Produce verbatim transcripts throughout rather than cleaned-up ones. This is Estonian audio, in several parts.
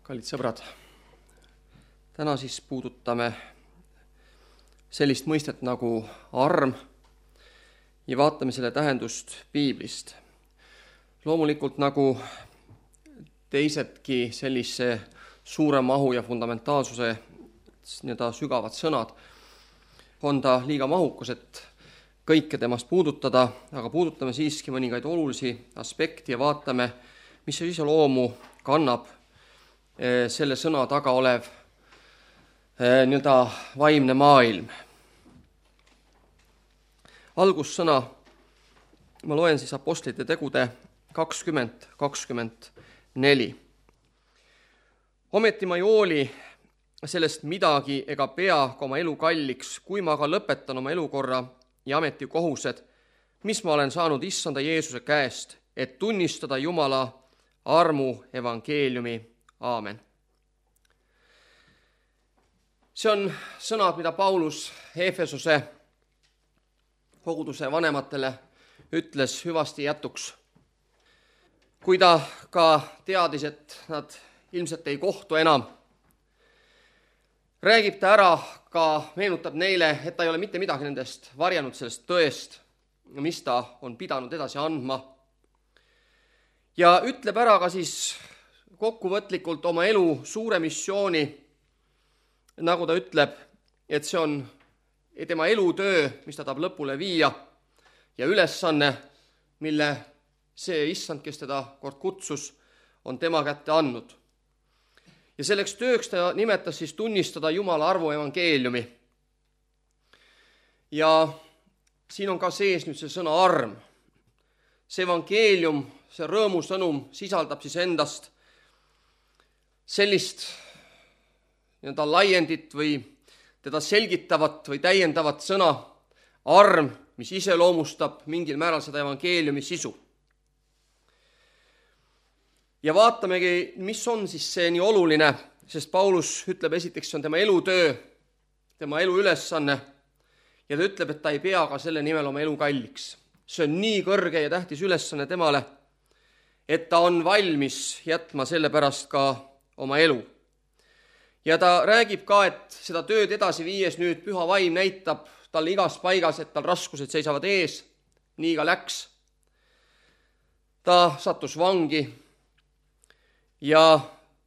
Kallid sõbrad, täna siis puudutame sellist mõistet nagu arm ja vaatame selle tähendust piiblist. Loomulikult nagu teisedki sellise suure mahu ja fundamentaalsuse nii-öelda sügavad sõnad, on ta liiga mahukas, et kõike temast puudutada, aga puudutame siiski mõningaid olulisi aspekti ja vaatame, mis see iseloomu kannab selle sõna taga olev nii-öelda vaimne maailm. Algussõna ma loen siis Apostlite tegude kakskümmend kakskümmend neli. Ometi ma ei hooli sellest midagi ega pea ka oma elu kalliks, kui ma aga lõpetan oma elukorra ja ametikohused, mis ma olen saanud issanda Jeesuse käest, et tunnistada Jumala armu evangeeliumi. Aamen. See on sõnad, mida Paulus Efesose koguduse vanematele ütles hüvasti jätuks. Kui ta ka teadis, et nad ilmselt ei kohtu enam, räägib ta ära, ka meenutab neile, et ta ei ole mitte midagi nendest varjanud sellest tõest, mis ta on pidanud edasi andma. Ja ütleb ära ka siis kokkuvõtlikult oma elu suure missiooni, nagu ta ütleb, et see on tema elutöö, mis ta tahab lõpule viia ja ülesanne, mille see issand, kes teda kord kutsus, on tema kätte andnud. Ja selleks tööks ta nimetas siis tunnistada Jumala armu evangeeliumi. Ja siin on ka sees nüüd see sõna arm. See evangeelium, see rõõmusõnum sisaldab siis endast sellist nii-öelda laiendit või teda selgitavat või täiendavat sõna arm, mis iseloomustab mingil määral seda evangeeliumi sisu. Ja vaatamegi, mis on siis see nii oluline, sest Paulus ütleb esiteks, see on tema elutöö, tema elu ülesanne ja ta ütleb, et ta ei pea ka selle nimel oma elu kalliks. See on nii kõrge ja tähtis ülesanne temale, et ta on valmis jätma selle pärast ka oma elu. Ja ta räägib ka, et seda tööd edasi viies nüüd püha vaim näitab talle igas paigas, et tal raskused seisavad ees, nii ka läks. Ta sattus vangi ja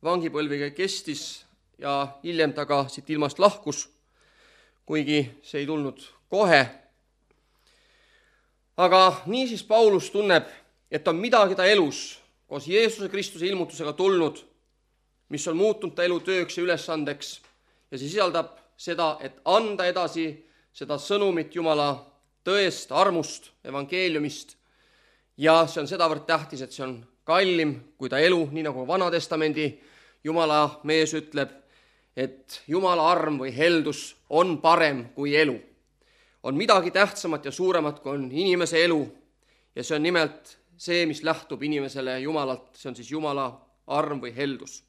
vangipõlviga kestis ja hiljem ta ka siit ilmast lahkus, kuigi see ei tulnud kohe. Aga nii siis Paulus tunneb, et on midagi ta elus koos Jeesuse Kristuse ilmutusega tulnud, mis on muutunud ta elutööks ja ülesandeks ja see sisaldab seda, et anda edasi seda sõnumit Jumala tõest, armust, evangeeliumist ja see on sedavõrd tähtis, et see on kallim kui ta elu, nii nagu Vana Testamendi Jumala mees ütleb, et Jumala arm või heldus on parem kui elu. On midagi tähtsamat ja suuremat, kui on inimese elu ja see on nimelt see, mis lähtub inimesele Jumalalt, see on siis Jumala arm või heldus.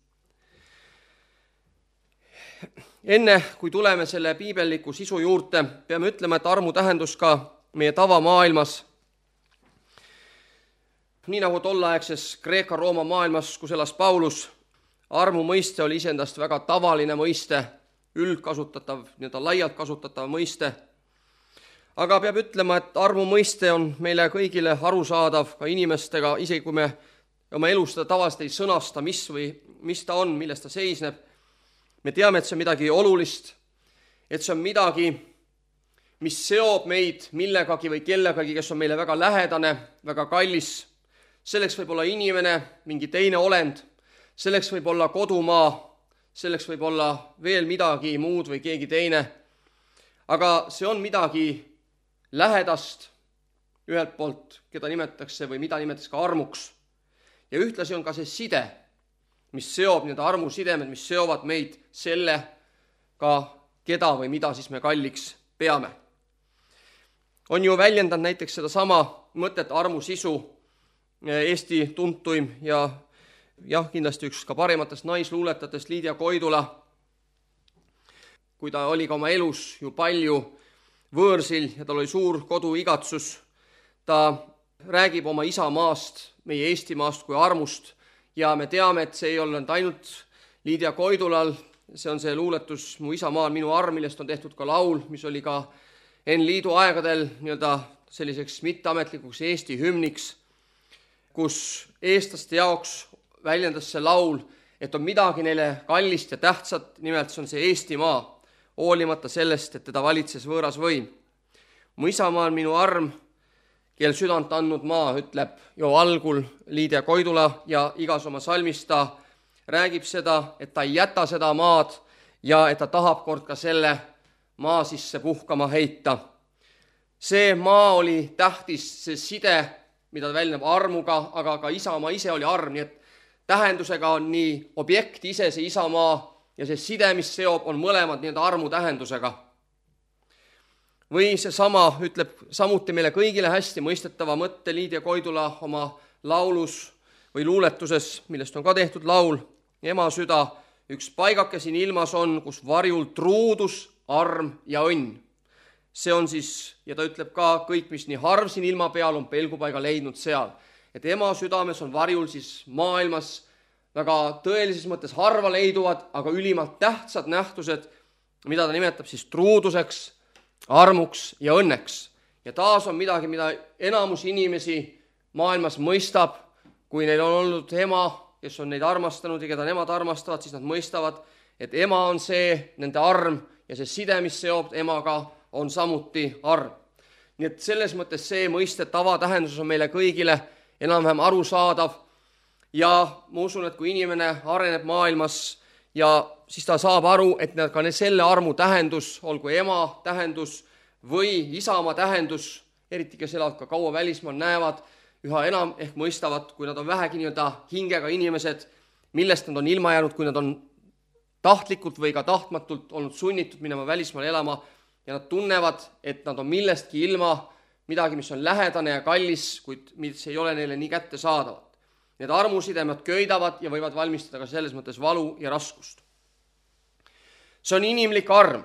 Enne, kui tuleme selle piibelliku sisu juurde, peame ütlema, et armu tähendus ka meie tavamaailmas. Nii nagu tollaegses Kreeka-Rooma maailmas, kus elas Paulus, armu mõiste oli iseendast väga tavaline mõiste, üldkasutatav, nii-öelda laialt kasutatav mõiste. Aga peab ütlema, et armu mõiste on meile kõigile arusaadav ka inimestega, isegi kui me oma elus seda tavaliselt ei sõnasta, mis või mis ta on, milles ta seisneb. Me teame, et see on midagi olulist, et see on midagi, mis seob meid millegagi või kellegagi, kes on meile väga lähedane, väga kallis. Selleks võib olla inimene, mingi teine olend, selleks võib olla kodumaa, selleks võib olla veel midagi muud või keegi teine. Aga see on midagi lähedast ühelt poolt, keda nimetatakse või mida nimetatakse ka armuks. Ja ühtlasi on ka see side, mis seob need armusidemed, mis seovad meid selle ka keda või mida siis me kalliks peame. On ju väljendanud näiteks seda sama mõtet armu sisu Eesti tuntuim ja jah, kindlasti üks ka parimatest naisluuletatest Liidia Koidula, kui ta oli ka oma elus ju palju võõrsil ja tal oli suur koduigatsus, ta räägib oma isamaast, meie Eestimaast kui armust ja me teame, et see ei olnud ainult Liidia Koidulal, see on see luuletus Mu isamaal minu arm, millest on tehtud ka laul, mis oli ka N Liidu aegadel nii-öelda selliseks mitteametlikuks Eesti hümniks, kus eestlaste jaoks väljendas see laul, et on midagi neile kallist ja tähtsat, nimelt see on see Eestimaa, hoolimata sellest, et teda valitses võõras võim. Mu isamaa on minu arm, kel südant andnud maa, ütleb jo algul Liidia Koidula ja igas oma salmis ta räägib seda, et ta ei jäta seda maad ja et ta tahab kord ka selle maa sisse puhkama heita. See maa oli tähtis, see side, mida ta väljendab armuga, aga ka isamaa ise oli arm, nii et tähendusega on nii objekt ise, see isamaa, ja see side, mis seob, on mõlemad nii-öelda armu tähendusega. Või see sama ütleb samuti meile kõigile hästi mõistetava mõtte Liidia Koidula oma laulus või luuletuses, millest on ka tehtud laul, Ema süda, üks paigake siin ilmas on, kus varjul truudus, arm ja õnn. See on siis, ja ta ütleb ka, kõik, mis nii harv siin ilma peal on pelgupaiga leidnud seal. Et ema südames on varjul siis maailmas väga tõelises mõttes harva leiduvad, aga ülimalt tähtsad nähtused, mida ta nimetab siis truuduseks, armuks ja õnneks. Ja taas on midagi, mida enamus inimesi maailmas mõistab, kui neil on olnud ema, kes on neid armastanud ja keda nemad armastavad, siis nad mõistavad, et ema on see nende arm ja see side, mis seob emaga, on samuti arm. Nii et selles mõttes see mõiste tavatähenduses on meile kõigile enam-vähem arusaadav ja ma usun, et kui inimene areneb maailmas ja siis ta saab aru, et ka selle armu tähendus, olgu ema tähendus või isamaa tähendus, eriti kes elavad ka kaua välismaal, näevad, üha enam ehk mõistavad, kui nad on vähegi nii-öelda hingega inimesed, millest nad on ilma jäänud, kui nad on tahtlikult või ka tahtmatult olnud sunnitud minema välismaal elama ja nad tunnevad, et nad on millestki ilma, midagi, mis on lähedane ja kallis, kuid mis ei ole neile nii kättesaadavad. Need armusidemed köidavad ja võivad valmistada ka selles mõttes valu ja raskust. See on inimlik arm,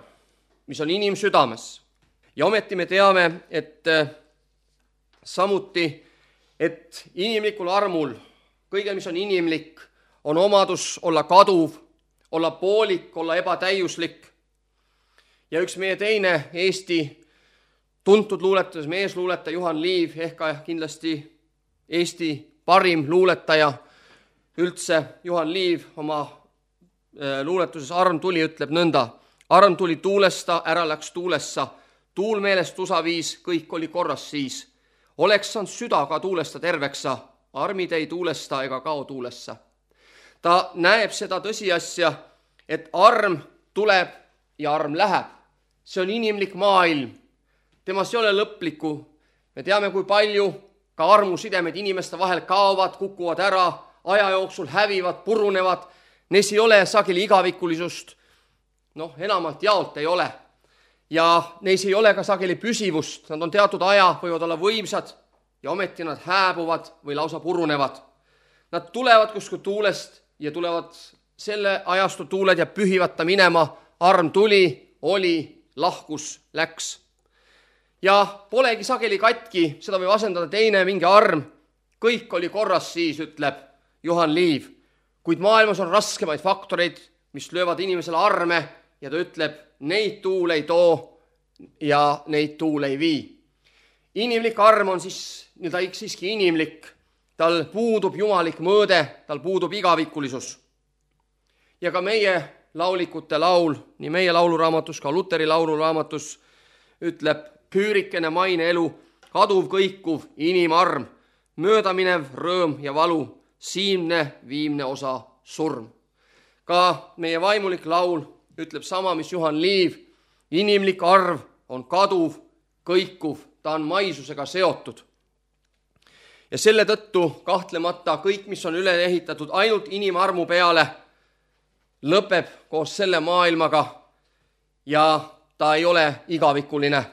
mis on inimsüdames. Ja ometi me teame, et samuti, et inimlikul armul, kõige, mis on inimlik, on omadus olla kaduv, olla poolik, olla ebatäiuslik. Ja üks meie teine Eesti tuntud luuletajas, meesluuletaja Juhan Liiv, ehk kindlasti Eesti parim luuletaja üldse, Juhan Liiv oma luuletuses Arm tuli ütleb nõnda. Arm tuli tuulesta, ära läks tuulessa, tuul meelest tusa viis, kõik oli korras siis. Oleks saanud süda ka tuulesta terveksa, armid ei tuulesta ega kao tuulessa. Ta näeb seda tõsiasja, et arm tuleb ja arm läheb. See on inimlik maailm. Temas ei ole lõplikku. Me teame, kui palju ka armusidemed inimeste vahel kaovad, kukuvad ära, aja jooksul hävivad, purunevad. Neis ei ole sageli igavikulisust. Noh, enamalt jaolt ei ole. Ja neis ei ole ka sageli püsivust. Nad on teatud aja, võivad olla võimsad ja ometi nad hääbuvad või lausa purunevad. Nad tulevad kuskil tuulest ja tulevad selle ajastu tuuled ja pühivad ta minema. Arm tuli, oli, lahkus, läks. Ja polegi sageli katki, seda võib asendada teine mingi arm. Kõik oli korras siis, ütleb Juhan Liiv. Kuid maailmas on raskemaid faktoreid, mis löövad inimesele arme ja ta ütleb, neid tuul ei too ja neid tuul ei vii. Inimlik arm on siis, ta siiski inimlik, tal puudub jumalik mõõde, tal puudub igavikulisus. Ja ka meie laulikute laul, nii meie lauluraamatus, ka Luteri lauluraamatus ütleb, püürikene maine elu, kaduv kõikuv inimarm, möödaminev rõõm ja valu, siimne viimne osa surm. Ka meie vaimulik laul ütleb sama, mis Juhan Liiv, inimlik arv on kaduv, kõikuv, ta on maisusega seotud. Ja selle tõttu kahtlemata kõik, mis on üle ehitatud ainult inimarmu peale, lõpeb koos selle maailmaga ja ta ei ole igavikuline.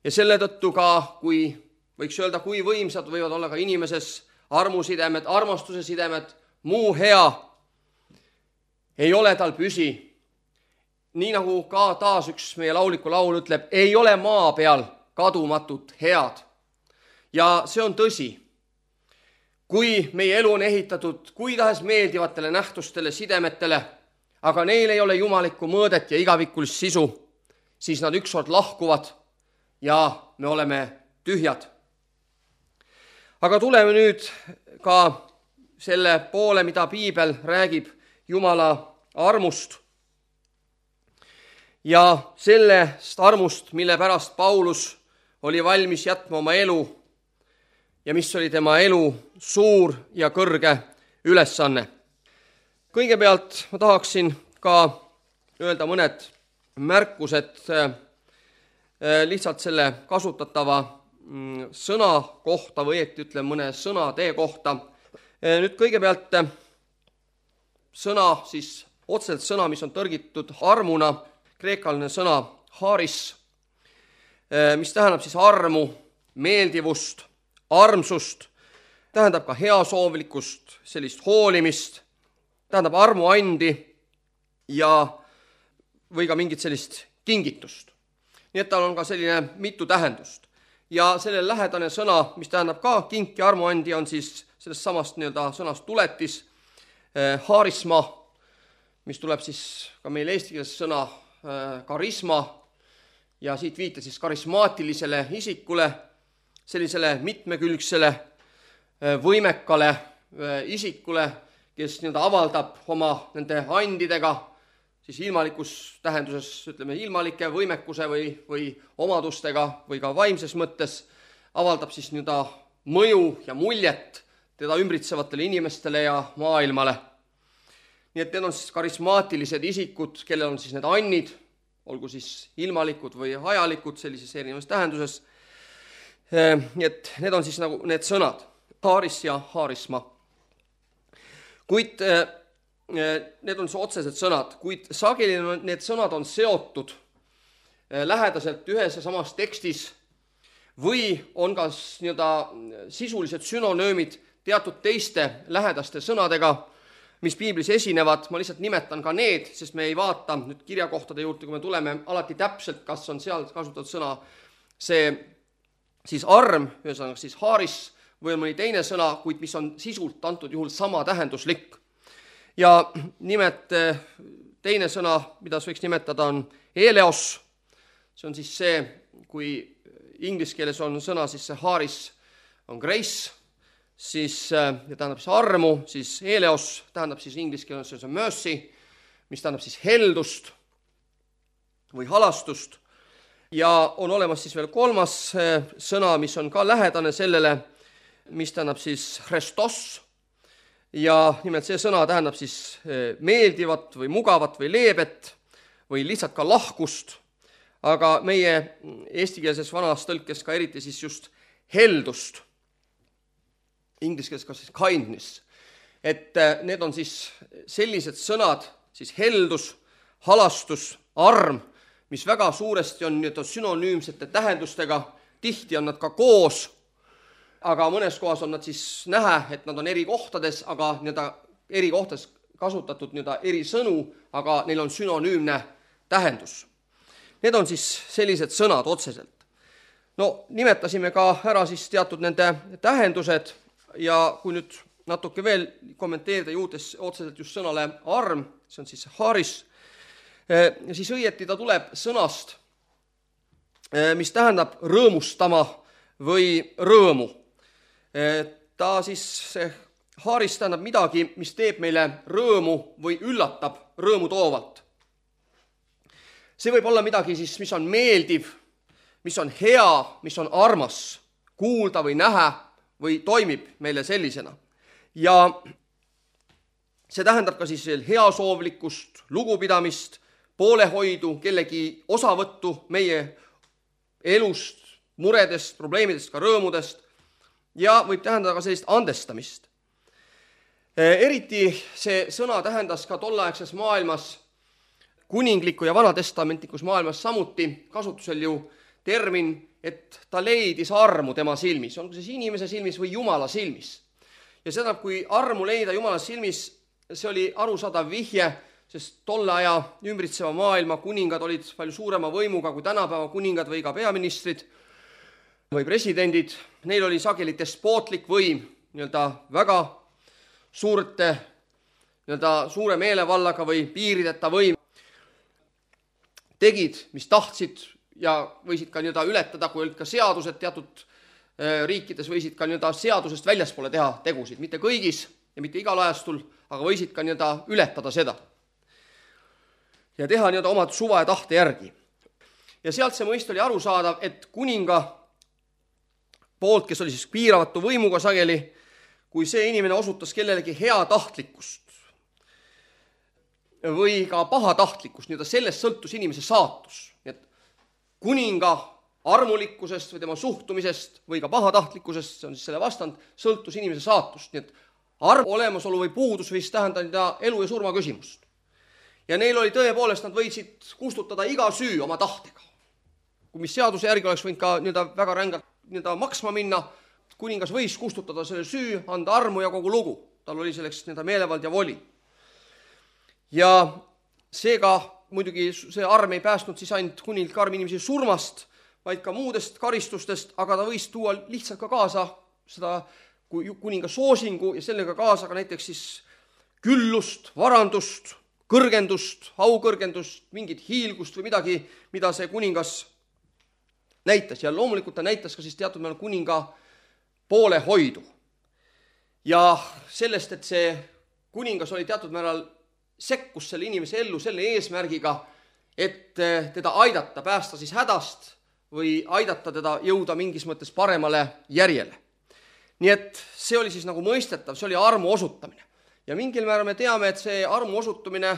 Ja selle tõttu ka, kui võiks öelda, kui võimsad võivad olla ka inimeses armusidemed, armastuse sidemed, muu hea, ei ole tal püsi. Nii nagu ka taas üks meie lauliku laul ütleb, ei ole maa peal kadumatut head. Ja see on tõsi. kui meie elu on ehitatud kui tahes meeldivatele nähtustele, sidemetele, aga neil ei ole jumalikku mõõdet ja igavikulist sisu, siis nad ükskord lahkuvad ja me oleme tühjad. Aga tuleme nüüd ka selle poole, mida piibel räägib Jumala armust ja sellest armust, mille pärast Paulus oli valmis jätma oma elu ja mis oli tema elu suur ja kõrge ülesanne. Kõigepealt ma tahaksin ka öelda mõned märkused lihtsalt selle kasutatava sõna kohta või õieti ütlen mõne sõnatee kohta. Nüüd kõigepealt sõna, siis otseselt sõna, mis on tõrgitud armuna, kreekaline sõna haris, mis tähendab siis armu, meeldivust, armsust, tähendab ka heasoovlikkust, sellist hoolimist, tähendab armuandi ja või ka mingit sellist kingitust. Nii et tal on ka selline mitu tähendust. Ja selle lähedane sõna, mis tähendab ka kink ja armuandi, on siis sellest samast nii-öelda sõnast tuletis, eh, haarisma, mis tuleb siis ka meil eesti keeles sõna eh, karisma ja siit viite siis karismaatilisele isikule, sellisele mitmekülgsele eh, võimekale eh, isikule, kes nii-öelda avaldab oma nende andidega, siis ilmalikus tähenduses, ütleme, ilmalike võimekuse või, või omadustega või ka vaimses mõttes avaldab siis nii-öelda mõju ja muljet teda ümbritsevatele inimestele ja maailmale. Nii et need on siis karismaatilised isikud, kellel on siis need annid, olgu siis ilmalikud või ajalikud sellises erinevas tähenduses. Nii et need on siis nagu need sõnad, haaris ja haarisma. Kuid need on otsesed sõnad, kuid sageli need sõnad on seotud lähedaselt ühes ja samas tekstis või on ka nii-öelda sisulised sünonöömid teatud teiste lähedaste sõnadega, mis piiblis esinevad. Ma lihtsalt nimetan ka need, sest me ei vaata nüüd kirjakohtade juurde, kui me tuleme alati täpselt, kas on seal kasutatud sõna see siis arm, ühesõnaga siis haaris või on mõni teine sõna, kuid mis on sisult antud juhul sama tähenduslik. Ja nimet teine sõna, mida võiks nimetada, on eleos. See on siis see, kui inglise keeles on sõna, siis see haaris on grace, siis ja tähendab siis armu, siis eleos tähendab siis inglise keeles see on mercy, mis tähendab siis heldust või halastust. Ja on olemas siis veel kolmas sõna, mis on ka lähedane sellele, mis tähendab siis Christos. Ja nimelt see sõna tähendab siis meeldivat või mugavat või leebet või lihtsalt ka lahkust, aga meie eestikeelses vanas tõlkes ka eriti siis just heldust, inglise keeles ka siis kindness. Et need on siis sellised sõnad, siis heldus, halastus, arm, mis väga suuresti on nii-öelda sünonüümsete tähendustega, tihti on nad ka koos, aga mõnes kohas on nad siis näha, et nad on eri kohtades, aga nii-öelda eri kohtades kasutatud nii-öelda eri sõnu, aga neil on sünonüümne tähendus. Need on siis sellised sõnad otseselt. No nimetasime ka ära siis teatud nende tähendused ja kui nüüd natuke veel kommenteerida juutes otseselt just sõnale arm, see on siis haaris, siis õieti ta tuleb sõnast, mis tähendab rõõmustama või rõõmu. Ta siis, see haaris tähendab midagi, mis teeb meile rõõmu või üllatab rõõmu toovalt. See võib olla midagi siis, mis on meeldiv, mis on hea, mis on armas, kuulda või näha või toimib meile sellisena. Ja see tähendab ka siis heasoovlikkust, lugupidamist, poolehoidu, kellegi osavõttu meie elust, muredest, probleemidest, ka rõõmudest ja võib tähendada ka sellist andestamist. Eriti see sõna tähendas ka tolleaegses maailmas, kuningliku ja vanatestamentlikus maailmas samuti kasutusel ju termin, et ta leidis armu tema silmis, on see inimese silmis või Jumala silmis. Ja seda, kui armu leida Jumala silmis, see oli arusaadav vihje, sest tolle aja ümbritseva maailma kuningad olid palju suurema võimuga kui tänapäeva kuningad või ka peaministrid või presidendid. Neil oli sageli despootlik võim, nii-öelda väga suurte, nii-öelda suure meelevallaga või piirideta võim tegid, mis tahtsid ja võisid ka nii-öelda ületada, kui olid ka seadused teatud riikides, võisid ka nii-öelda seadusest väljaspoole teha tegusid, mitte kõigis ja mitte igal ajastul, aga võisid ka nii-öelda ületada seda ja teha nii-öelda omad suva ja tahte järgi. Ja sealt see mõist oli arusaadav, et kuninga poolt, kes oli siis piiravatu võimuga sageli, kui see inimene osutas kellelegi hea tahtlikkust või ka pahatahtlikkust, nii-öelda sellest sõltus inimese saatus. Nii et kuninga armulikkusest või tema suhtumisest või ka pahatahtlikkusest, see on siis selle vastand, sõltus inimese saatust. Nii et arm olemasolu või puudus võis tähendada elu ja surma küsimust. Ja neil oli tõepoolest, nad võisid kustutada iga süü oma tahtega. Kui mis seaduse järgi oleks võinud ka nii-öelda väga rängalt nii-öelda maksma minna, kuningas võis kustutada selle süü, anda armu ja kogu lugu. Tal oli selleks nii-öelda meelevald ja voli. Ja seega muidugi see arm ei päästnud siis ainult kunilt ka arm inimesi surmast, vaid ka muudest karistustest, aga ta võis tuua lihtsalt ka kaasa seda kuninga soosingu ja sellega kaasa ka näiteks siis küllust, varandust, kõrgendust, aukõrgendust, mingit hiilgust või midagi, mida see kuningas näitas. Ja loomulikult ta näitas ka siis teatud määral kuninga poolehoidu. Ja sellest, et see kuningas oli teatud määral sekkus selle inimese ellu selle eesmärgiga, et teda aidata, päästa siis hädast või aidata teda jõuda mingis mõttes paremale järjele. Nii et see oli siis nagu mõistetav, see oli armu osutamine. Ja mingil määral me teame, et see armu osutumine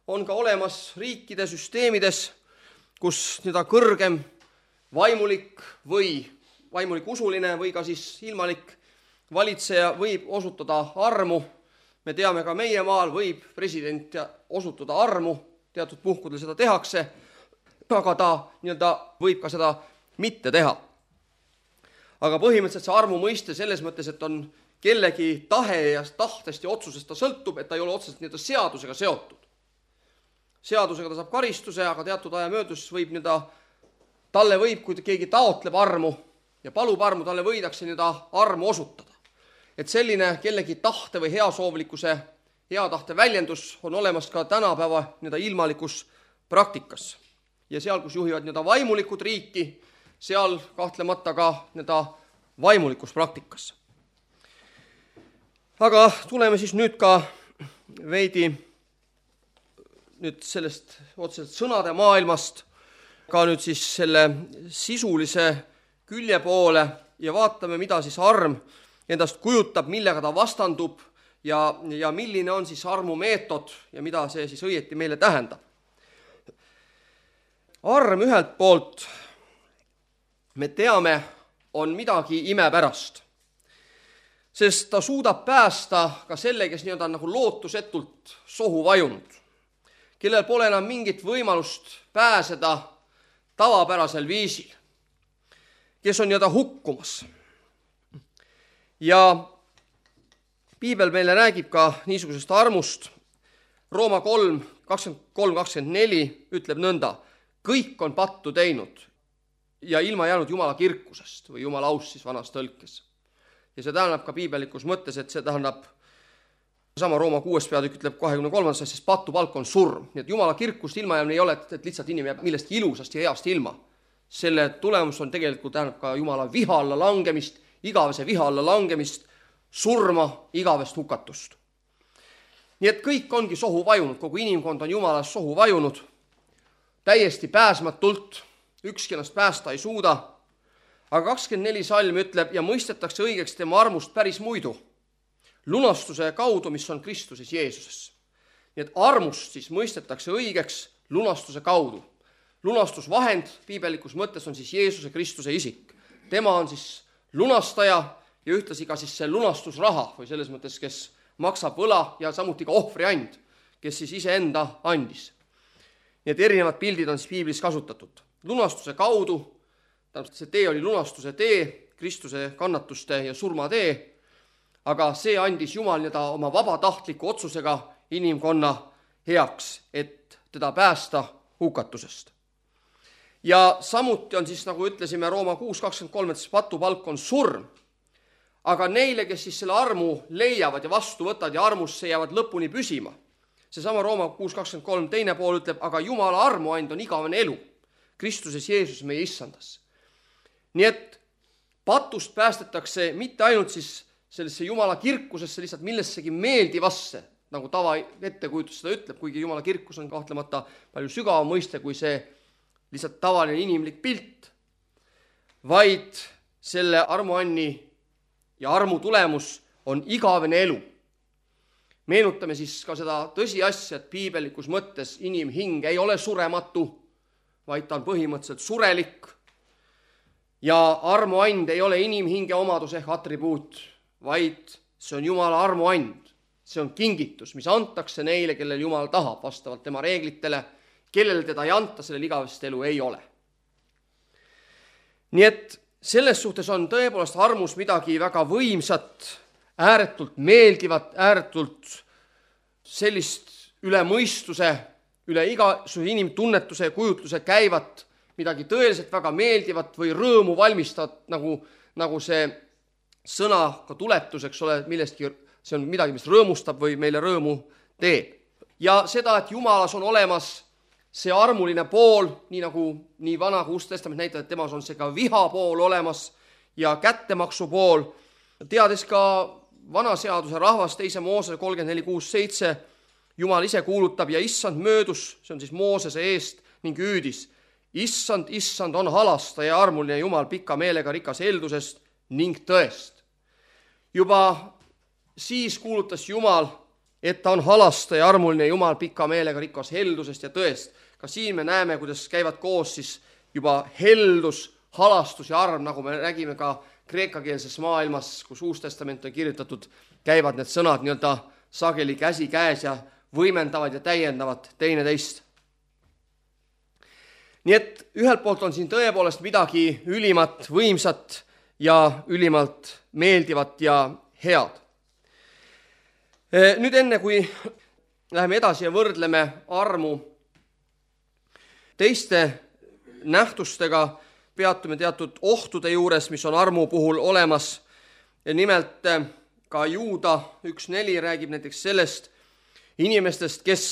on ka olemas riikide süsteemides, kus nii-öelda kõrgem vaimulik või vaimulik usuline või ka siis ilmalik valitseja võib osutada armu. Me teame ka meie maal võib president osutada armu, teatud puhkudel seda tehakse, aga ta nii-öelda võib ka seda mitte teha. Aga põhimõtteliselt see armu mõiste selles mõttes, et on kellegi tahe ja tahtest ja otsusest ta sõltub, et ta ei ole otseselt nii-öelda seadusega seotud. Seadusega ta saab karistuse, aga teatud aja möödus võib nii-öelda talle võib, kui keegi taotleb armu ja palub armu, talle võidakse nii-öelda armu osutada. Et selline kellegi tahte või heasoovlikkuse, hea tahte väljendus on olemas ka tänapäeva nii-öelda ilmalikus praktikas. Ja seal, kus juhivad nii-öelda vaimulikud riiki, seal kahtlemata ka nii-öelda vaimulikus praktikas. Aga tuleme siis nüüd ka veidi nüüd sellest otseselt sõnade maailmast ka nüüd siis selle sisulise külje poole ja vaatame, mida siis arm endast kujutab, millega ta vastandub ja, ja milline on siis armu meetod ja mida see siis õieti meile tähendab. Arm ühelt poolt, me teame, on midagi imepärast, sest ta suudab päästa ka selle, kes nii-öelda nagu lootusetult sohu vajunud, kellel pole enam mingit võimalust pääseda tavapärasel viisil, kes on nii-öelda hukkumas. Ja piibel meile räägib ka niisugusest armust. Rooma kolm, kakskümmend kolm, kakskümmend neli ütleb nõnda, kõik on pattu teinud ja ilma jäänud Jumala kirkusest või Jumala aust siis vanas tõlkes. Ja see tähendab ka piibelikus mõttes, et see tähendab sama Rooma kuues peatükk ütleb kahekümne kolmandas, sest pattu palk on surm. Nii et Jumala kirkust ilma jäämine ei ole, et lihtsalt inimene jääb millestki ilusast ja heast ilma. Selle tulemus on tegelikult tähendab ka Jumala viha alla langemist, igavese viha alla langemist, surma, igavest hukatust. Nii et kõik ongi sohu vajunud, kogu inimkond on Jumalas sohu vajunud, täiesti pääsmatult, ükski ennast päästa ei suuda. Aga kakskümmend neli salm ütleb ja mõistetakse õigeks tema armust päris muidu, lunastuse kaudu, mis on Kristuses Jeesuses. Nii et armust siis mõistetakse õigeks lunastuse kaudu. Lunastusvahend piibelikus mõttes on siis Jeesuse Kristuse isik. Tema on siis lunastaja ja ühtlasi ka siis see lunastusraha või selles mõttes, kes maksab võla ja samuti ka ohvriand, kes siis iseenda andis. Nii et erinevad pildid on siis piiblis kasutatud. Lunastuse kaudu, see tee oli lunastuse tee, Kristuse kannatuste ja surma tee, aga see andis Jumal nii-öelda oma vabatahtliku otsusega inimkonna heaks, et teda päästa hukatusest. Ja samuti on siis, nagu ütlesime, Rooma kuus kakskümmend kolm, et patupalk on surm. aga neile, kes siis selle armu leiavad ja vastu võtavad ja armusse jäävad lõpuni püsima. Seesama Rooma kuus kakskümmend kolm teine pool ütleb, aga Jumala armuand on igavene elu Kristuses Jeesus meie issandas. Nii et patust päästetakse mitte ainult siis sellesse Jumala kirkusesse lihtsalt millessegi meeldivasse, nagu tava ettekujutus seda ütleb, kuigi Jumala kirkus on kahtlemata palju sügavam mõiste kui see lihtsalt tavaline inimlik pilt, vaid selle armuanni ja armu tulemus on igavene elu. Meenutame siis ka seda tõsiasja, et piibellikus mõttes inimhing ei ole surematu, vaid ta on põhimõtteliselt surelik. Ja armuand ei ole inimhinge omadus ehk atribuut, vaid see on Jumala armuand. See on kingitus, mis antakse neile, kellel Jumal tahab vastavalt tema reeglitele, kellel teda ei anta, sellel igavest elu ei ole. Nii et selles suhtes on tõepoolest armus midagi väga võimsat, ääretult meeldivat, ääretult sellist üle mõistuse, üle igasuguse inimtunnetuse ja kujutluse käivat, midagi tõeliselt väga meeldivat või rõõmu valmistavat, nagu, nagu see sõna ka tuletuseks ole millestki, see on midagi, mis rõõmustab või meile rõõmu teeb. Ja seda, et Jumalas on olemas see armuline pool, nii nagu nii vana kui uus testament näitab, et temas on see ka viha pool olemas ja kättemaksu pool. Teades ka vana seaduse rahvas teise Moosese kolmkümmend neli kuus seitse, Jumal ise kuulutab ja issand möödus, see on siis Moosese eest ning hüüdis. Issand, issand on halastaja ja armuline Jumal pika meelega rikas heldusest ning tõest. Juba siis kuulutas Jumal, et ta on halastaja ja armuline Jumal pika meelega rikas heldusest ja tõest. Ka siin me näeme, kuidas käivad koos siis juba heldus, halastus ja arm, nagu me räägime ka kreekakeelses maailmas, kus Uus Testament on kirjutatud, käivad need sõnad nii-öelda sageli käsi käes ja võimendavad ja täiendavad teine teist. Nii et ühelt poolt on siin tõepoolest midagi ülimat, võimsat ja ülimalt meeldivat ja head. Nüüd enne, kui läheme edasi ja võrdleme armu teiste nähtustega, peatume teatud ohtude juures, mis on armu puhul olemas. Nimelt ka Juuda üks neli räägib näiteks sellest inimestest, kes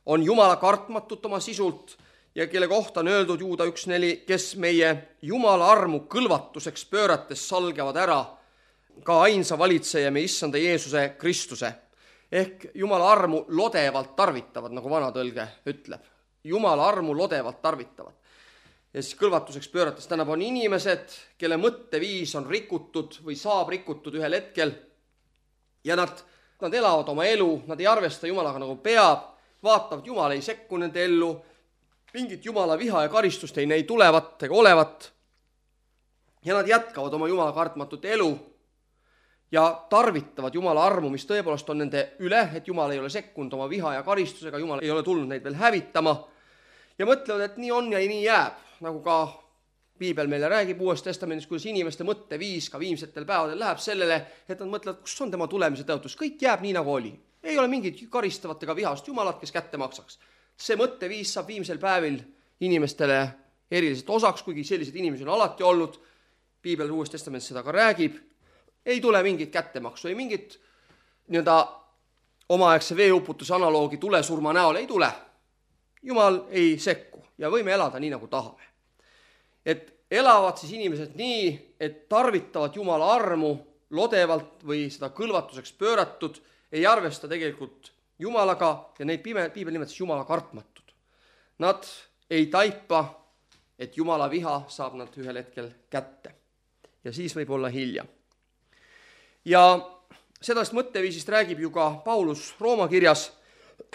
on Jumala kartmatut oma sisult ja kelle kohta on öeldud Juuda üks neli, kes meie Jumala armu kõlvatuseks pöörates salgevad ära ka ainsa valitseja meie issanda Jeesuse Kristuse. Ehk Jumala armu lodevalt tarvitavad, nagu vana tõlge ütleb. Jumala armu lodevalt tarvitavad. Ja siis kõlvatuseks pöörates täna on inimesed, kelle mõtteviis on rikutud või saab rikutud ühel hetkel ja nad, nad elavad oma elu, nad ei arvesta Jumalaga nagu peab, vaatavad, Jumal ei sekku nende ellu, mingit Jumala viha ja karistust ei neid tulevat ega olevat ja nad jätkavad oma Jumala kartmatut elu ja tarvitavad Jumala armu, mis tõepoolest on nende üle, et Jumal ei ole sekkunud oma viha ja karistusega, Jumal ei ole tulnud neid veel hävitama ja mõtlevad, et nii on ja nii jääb, nagu ka Piibel meile räägib Uues Testamendis, kuidas inimeste mõtteviis ka viimsetel päevadel läheb sellele, et nad mõtlevad, kus on tema tulemise tõotus, kõik jääb nii nagu oli. Ei ole mingit karistavat ega vihast Jumalat, kes kätte maksaks. See mõtteviis saab viimsel päevil inimestele eriliselt osaks, kuigi sellised inimesed on alati olnud. Piibel Uues Testamendis seda ka räägib. Ei tule mingit kättemaksu, ei mingit nii-öelda omaaegse veeuputuse analoogi tulesurma näol ei tule. Jumal ei sekku ja võime elada nii, nagu tahame. Et elavad siis inimesed nii, et tarvitavad Jumala armu lodevalt või seda kõlvatuseks pööratud, ei arvesta tegelikult Jumalaga ja neid Piibel nimetas Jumala kartmatud. Nad ei taipa, et Jumala viha saab nad ühel hetkel kätte ja siis võib olla hilja. Ja sedast mõtteviisist räägib ju ka Paulus Rooma kirjas,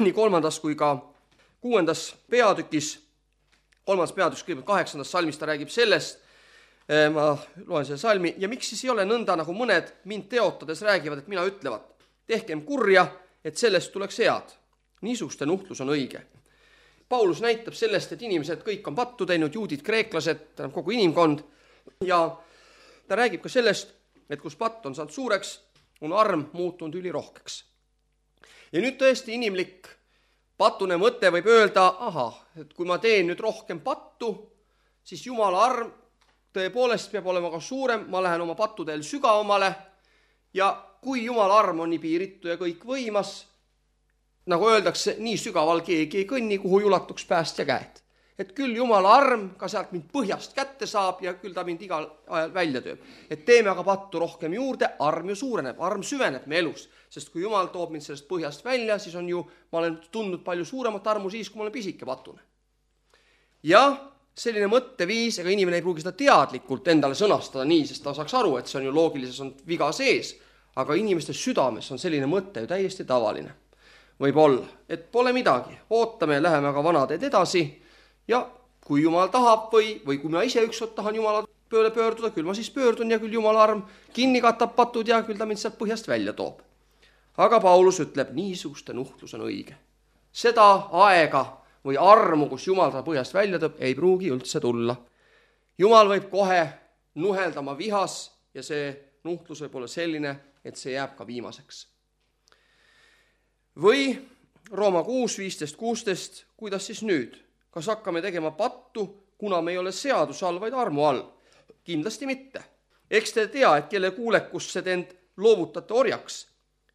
nii kolmandas kui ka kuuendas peatükis, kolmandas peatükis, kõigepealt kaheksandas salmis ta räägib sellest, ma loen selle salmi, ja miks siis ei ole nõnda, nagu mõned mind teotades räägivad, et mina ütlevad, tehkem kurja, et sellest tuleks head. Niisuguste nuhtlus on õige. Paulus näitab sellest, et inimesed kõik on pattu teinud, juudid, kreeklased, kogu inimkond, ja ta räägib ka sellest, et kus patt on saanud suureks, on arm muutunud ülirohkeks. Ja nüüd tõesti inimlik patune mõte võib öelda, aha, et kui ma teen nüüd rohkem pattu, siis Jumala arm tõepoolest peab olema ka suurem, ma lähen oma pattudel sügavamale Ja kui Jumala arm on nii piiritu ja kõik võimas, nagu öeldakse, nii sügaval keegi ei kõnni, kuhu ulatuks päästja käed. Et küll Jumala arm ka sealt mind põhjast kätte saab ja küll ta mind igal ajal välja tööb. Et teeme aga pattu rohkem juurde, arm ju suureneb, arm süveneb me elus. Sest kui Jumal toob mind sellest põhjast välja, siis on ju, ma olen tundnud palju suuremat armu siis, kui ma olen pisike patune. Ja selline mõtteviis, ega inimene ei pruugi seda teadlikult endale sõnastada nii, sest ta saaks aru, et see on ju loogilises on viga sees, aga inimeste südames on selline mõte ju täiesti tavaline. Võib olla, et pole midagi, ootame ja läheme aga vanateed edasi ja kui Jumal tahab või, või kui ma ise ükskord tahan Jumala pööle pöörduda, küll ma siis pöördun ja küll Jumala arm kinni katab patud ja küll ta mind sealt põhjast välja toob. Aga Paulus ütleb, niisuguste nuhtlus on õige. Seda aega või armu, kus Jumal ta põhjast välja toob, ei pruugi üldse tulla. Jumal võib kohe nuhelda oma vihas ja see nuhtlus võib olla selline, et see jääb ka viimaseks. Või Rooma kuus, viisteist, kuusteist, kuidas siis nüüd? Kas hakkame tegema pattu, kuna me ei ole seaduse all, vaid armu all? Kindlasti mitte. Eks te tea, et kelle kuulekusse te end loovutate orjaks,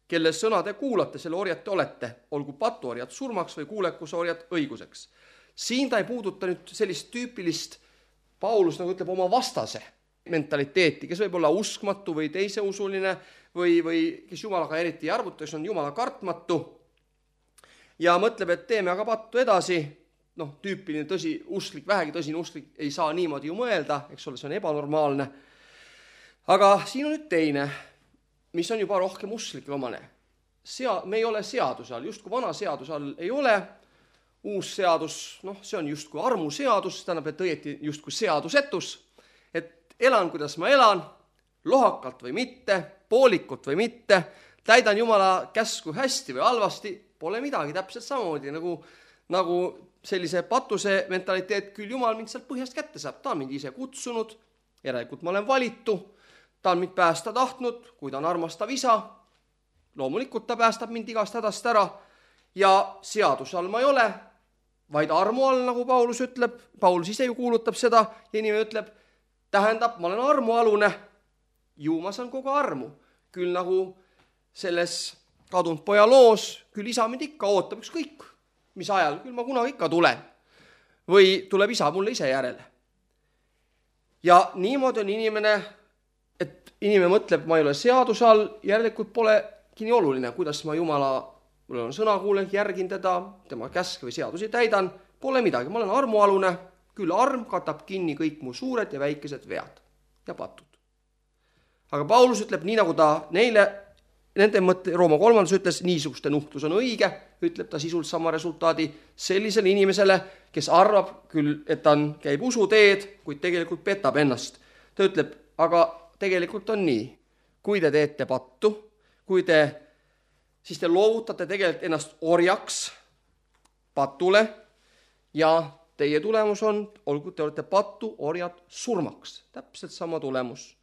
kelle sõna te kuulate, selle orjate olete, olgu patuorjad surmaks või kuulekuse orjad õiguseks. Siin ta ei puuduta nüüd sellist tüüpilist, Paulus nagu ütleb, oma vastase mentaliteeti, kes võib olla uskmatu või teise usuline või, või kes Jumalaga eriti ei arvuta, kes on Jumala kartmatu ja mõtleb, et teeme aga pattu edasi. Noh, tüüpiline tõsi, usklik, vähegi tõsine usklik ei saa niimoodi ju mõelda, eks ole, see on ebanormaalne. Aga siin on nüüd teine, mis on juba rohkem usklik omane. Sea, me ei ole seaduse all, just kui vana seaduse all ei ole, uus seadus, noh, see on just kui armu seadus, tähendab, et õieti just kui seadusetus, et elan, kuidas ma elan, lohakalt või mitte, poolikut või mitte, täidan Jumala käsku hästi või halvasti, pole midagi, täpselt samamoodi nagu, nagu sellise patuse mentaliteet, küll Jumal mind sealt põhjast kätte saab, ta on mind ise kutsunud, järelikult ma olen valitu, ta on mind päästa tahtnud, kui ta on armastav isa, loomulikult ta päästab mind igast hädast ära ja seaduse all ma ei ole, vaid armu all, nagu Paulus ütleb, Paulus ise ju kuulutab seda ja inimene ütleb, tähendab, ma olen armualune, ju ma saan kogu armu, küll nagu selles kadunud poja loos, küll isa mind ikka ootab, üks kõik, mis ajal, küll ma kunagi ikka tulen. Või tuleb isa mulle ise järele. Ja niimoodi on inimene, et inimene mõtleb, ma ei ole seaduse all, järelikult polegi nii oluline, kuidas ma Jumala, mul on sõnakuulelik, järgin teda, tema käske või seadusi täidan, pole midagi, ma olen armualune, küll arm katab kinni kõik mu suured ja väikesed vead ja patud. Aga Paulus ütleb nii, nagu ta neile nende mõtte, Rooma kolmandas ütles, niisuguste nuhtlus on õige, ütleb ta sisult sama resultaadi sellisele inimesele, kes arvab küll, et ta on, käib usuteed, kuid tegelikult petab ennast. Ta ütleb, aga tegelikult on nii. Kui te teete pattu, kui te, siis te loovutate tegelikult ennast orjaks patule ja teie tulemus on, olgu te olete pattu, orjad surmaks. Täpselt sama tulemus.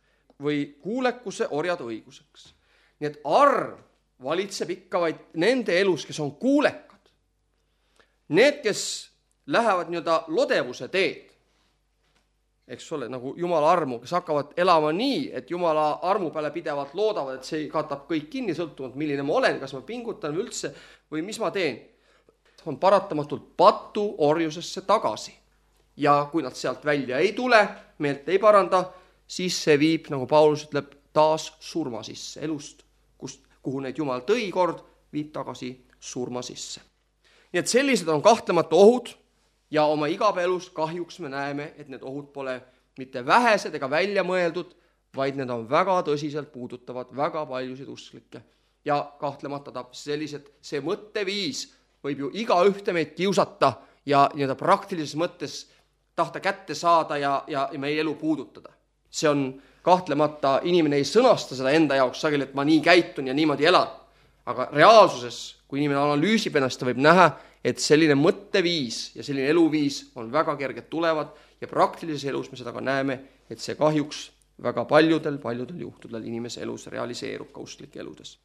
Või kuulekuse orjad õiguseks. Nii et arv valitseb ikka vaid nende elus, kes on kuulekad. Need, kes lähevad nii-öelda lodevuse teed, eks ole, nagu Jumala armu, kes hakkavad elama nii, et Jumala armu peale pidevalt loodavad, et see katab kõik kinni, sõltumata milline ma olen, kas ma pingutan üldse või mis ma teen, on paratamatult patu orjusesse tagasi. Ja kui nad sealt välja ei tule, meelt ei paranda, siis see viib, nagu Paulus ütleb, taas surma sisse elust, kust, kuhu neid Jumal tõi kord, viib tagasi surma sisse. Nii et sellised on kahtlemata ohud ja oma igapäelus kahjuks me näeme, et need ohud pole mitte vähesed ega välja mõeldud, vaid need on väga tõsiselt puudutavad väga paljusid usklikke. Ja kahtlemata ta sellised, see mõtteviis võib ju iga ühte meid kiusata ja nii-öelda praktilises mõttes tahta kätte saada ja, ja, ja meie elu puudutada. See on kahtlemata, inimene ei sõnasta seda enda jaoks sageli, et ma nii käitun ja niimoodi elan. Aga reaalsuses, kui inimene analüüsib ennast, ta võib näha, et selline mõtteviis ja selline eluviis on väga kerged tulevad ja praktilises elus me seda ka näeme, et see kahjuks väga paljudel, paljudel juhtudel inimese elus realiseerub ka usklike eludes.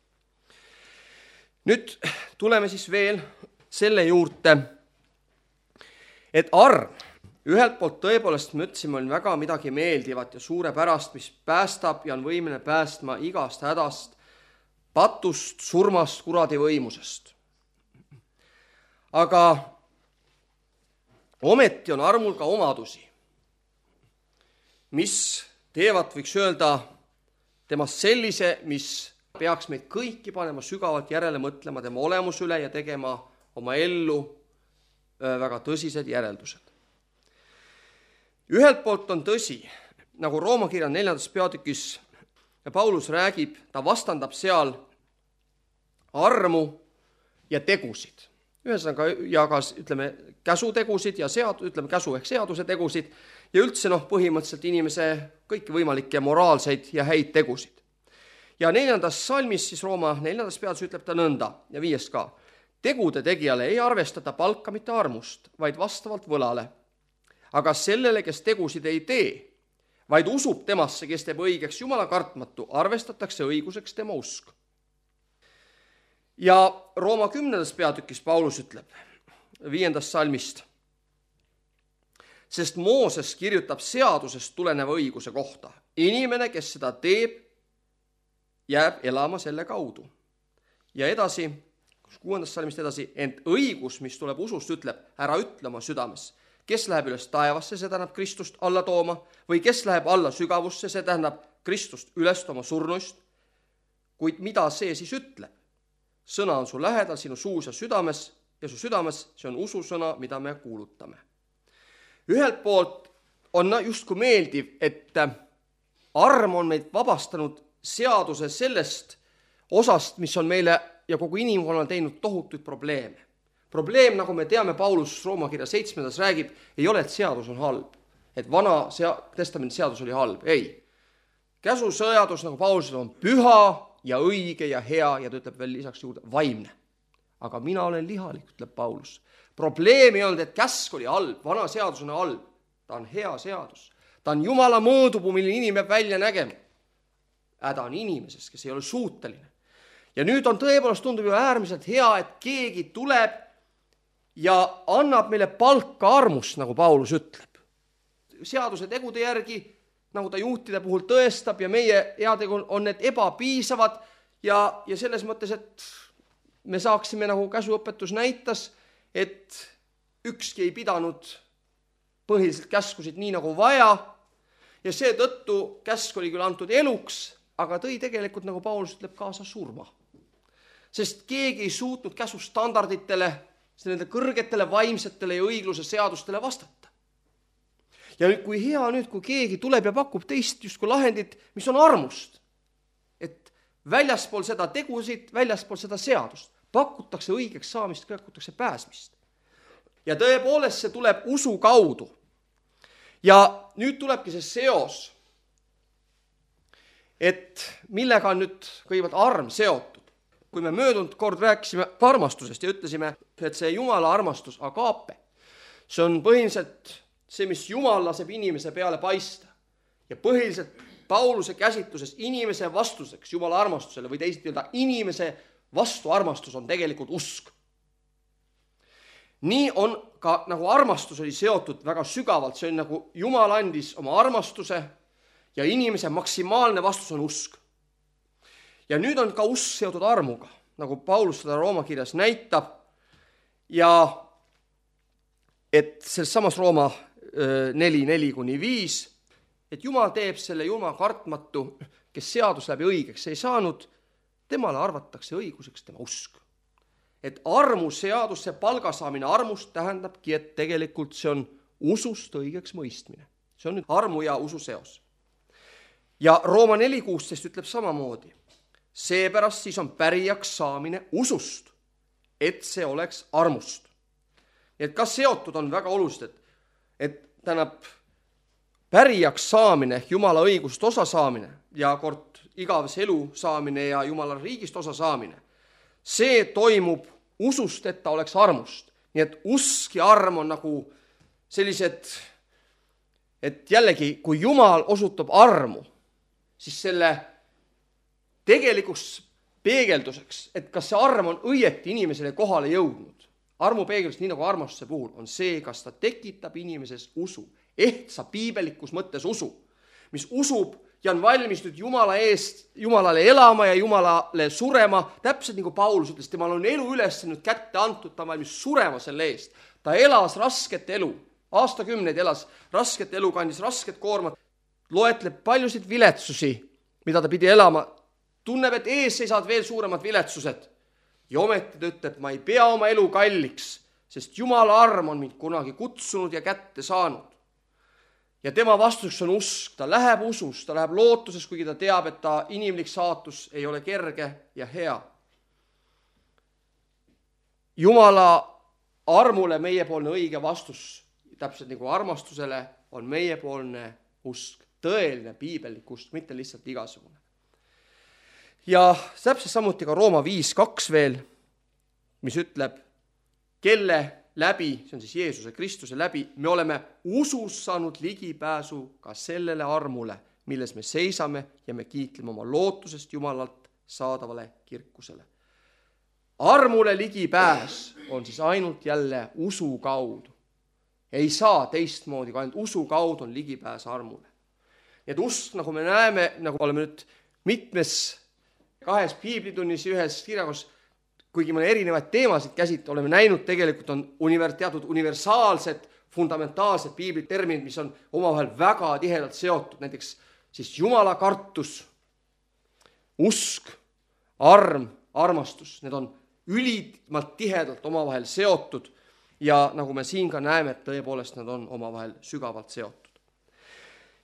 Nüüd tuleme siis veel selle juurde, et arm, ühelt poolt tõepoolest me ütlesime, on väga midagi meeldivat ja suurepärast, mis päästab ja on võimeline päästma igast hädast patust, surmast, kuradi võimusest. Aga ometi on armul ka omadusi, mis teevad, võiks öelda, temast sellise, mis peaks meid kõiki panema sügavalt järele mõtlema tema olemuse üle ja tegema oma ellu väga tõsised järeldused. Ühelt poolt on tõsi, nagu Rooma kirja neljandas peatükis Paulus räägib, ta vastandab seal armu ja tegusid. Ühesõnaga, ja ka ütleme, käsutegusid ja sead, ütleme, käsu ehk seaduse tegusid ja üldse noh, põhimõtteliselt inimese kõiki võimalikke moraalseid ja häid tegusid. Ja neljandas salmis, siis Rooma neljandas peatükis ütleb ta nõnda ja viies ka. Tegude tegijale ei arvestata palka mitte armust, vaid vastavalt võlale. Aga sellele, kes tegusid ei tee, vaid usub temasse, kes teeb õigeks Jumala kartmatu, arvestatakse õiguseks tema usk. Ja Rooma kümnendas peatükis Paulus ütleb viiendast salmist, sest Mooses kirjutab seadusest tuleneva õiguse kohta. Inimene, kes seda teeb, jääb elama selle kaudu. Ja edasi, kuuendast salmist edasi, ent õigus, mis tuleb usust, ütleb, ära ütle oma südames, kes läheb üles taevasse, see tähendab Kristust alla tooma, või kes läheb alla sügavusse, see tähendab Kristust üles tooma surnuist. Kuid mida see siis ütleb? Sõna on su lähedal, sinu suus ja südames, ja su südames, see on ususõna, mida me kuulutame. Ühelt poolt on justkui meeldiv, et arm on meid vabastanud seaduse sellest osast, mis on meile ja kogu inimkonnal teinud tohutuid probleeme. Probleem, nagu me teame, Paulus Rooma kirja seitsmendas räägib, ei ole, et seadus on halb. Et vana sea- testamendi seadus oli halb. Ei. Käsuseadus, nagu Paulus on püha ja õige ja hea ja ta ütleb veel lisaks juurde vaimne. Aga mina olen lihalik, ütleb Paulus. Probleem ei olnud, et käsk oli halb, vana seadus on halb. Ta on hea seadus. Ta on Jumala mõõdupuu, mille inimene välja nägema. Häda on inimeses, kes ei ole suuteline. Ja nüüd on tõepoolest tundub ju äärmiselt hea, et keegi tuleb ja annab meile palka armust, nagu Paulus ütleb. Seaduse tegude järgi, nagu ta juhtide puhul tõestab ja meie heategu on need ebapiisavad ja, ja selles mõttes, et me saaksime, nagu käsuõpetus näitas, et ükski ei pidanud põhiliselt käskusid nii nagu vaja ja seetõttu käsk oli küll antud eluks, aga tõi tegelikult, nagu Paulus ütleb, kaasa surma. Sest keegi ei suutnud käsustandarditele, nende kõrgetele vaimsetele ja õigluse seadustele vastata. Ja nüüd, kui hea nüüd, kui keegi tuleb ja pakub teist justkui lahendit, mis on armust, et väljaspool seda tegusid, väljaspool seda seadust, pakutakse õigeks saamist, pakutakse pääsmist. Ja tõepoolest see tuleb usu kaudu. Ja nüüd tulebki see seos, et millega on nüüd kõigepealt arm seotud. Kui me möödunud kord rääkisime armastusest ja ütlesime, et see Jumala armastus, agaape, see on põhiliselt see, mis Jumal laseb inimese peale paista. Ja põhiliselt Pauluse käsitluses inimese vastuseks Jumala armastusele või teisalt öelda inimese vastu armastus on tegelikult usk. Nii on ka nagu armastus oli seotud väga sügavalt, see on nagu Jumal andis oma armastuse ja inimese maksimaalne vastus on usk. Ja nüüd on ka usk seotud armuga, nagu Paulus seda Rooma kirjas näitab ja et selles samas Rooma neli, neli kuni viis, et Jumal teeb selle Jumala kartmatu, kes seadus läbi õigeks ei saanud, temale arvatakse õiguseks tema usk. Et armu seadus, see palgasaamine armust tähendabki, et tegelikult see on usust õigeks mõistmine. See on nüüd armu ja usu seos. Ja Rooma neli kuusteist ütleb samamoodi. Seepärast siis on pärijaks saamine usust, et see oleks armust. Et kas seotud on väga olulised, et, et tänab pärijaks saamine ehk Jumala õigust osa saamine ja kord igavese elu saamine ja Jumala riigist osa saamine. See toimub usust, et ta oleks armust. Nii et usk ja arm on nagu sellised, et jällegi, kui Jumal osutab armu, siis selle tegelikuks peegelduseks, et kas see arm on õieti inimesele kohale jõudnud. Armu peegeldus, nii nagu armastuse puhul, on see, kas ta tekitab inimeses usu, ehtsa piibelikus mõttes usu, mis usub ja on valmis nüüd Jumala eest, Jumalale elama ja Jumalale surema, täpselt nagu Paulus ütles, temal on elu üles nüüd kätte antud, ta on valmis surema selle eest. Ta elas rasket elu, aastakümneid elas rasket elu, kandis rasket koormat, loetleb paljusid viletsusi, mida ta pidi elama, tunneb, et ees seisavad veel suuremad viletsused. Ja ometi ta ütleb, ma ei pea oma elu kalliks, sest Jumala arm on mind kunagi kutsunud ja kätte saanud. Ja tema vastuseks on usk, ta läheb usus, ta läheb lootuses, kuigi ta teab, et ta inimlik saatus ei ole kerge ja hea. Jumala armule meiepoolne õige vastus, täpselt nagu armastusele, on meiepoolne usk, tõeline piibellik usk, mitte lihtsalt igasugune. Ja täpselt samuti ka Rooma viis kaks veel, mis ütleb, kelle läbi, see on siis Jeesuse Kristuse läbi, me oleme usus saanud ligipääsu ka sellele armule, milles me seisame ja me kiitleme oma lootusest Jumalalt saadavale kirkusele. Armule ligipääs on siis ainult jälle usu kaudu. Ei saa teistmoodi, kui ainult usu kaudu on ligipääs armule. Nii et usk, nagu me näeme, nagu oleme nüüd mitmes kahes piiblitunnis ühes kirjakos, kuigi me erinevaid teemasid käsit, oleme näinud, tegelikult on univer, teatud universaalsed, fundamentaalsed piibliterminid, mis on omavahel väga tihedalt seotud, näiteks siis Jumala kartus, usk, arm, armastus, need on ülimalt tihedalt omavahel seotud ja nagu me siin ka näeme, et tõepoolest nad on omavahel sügavalt seotud.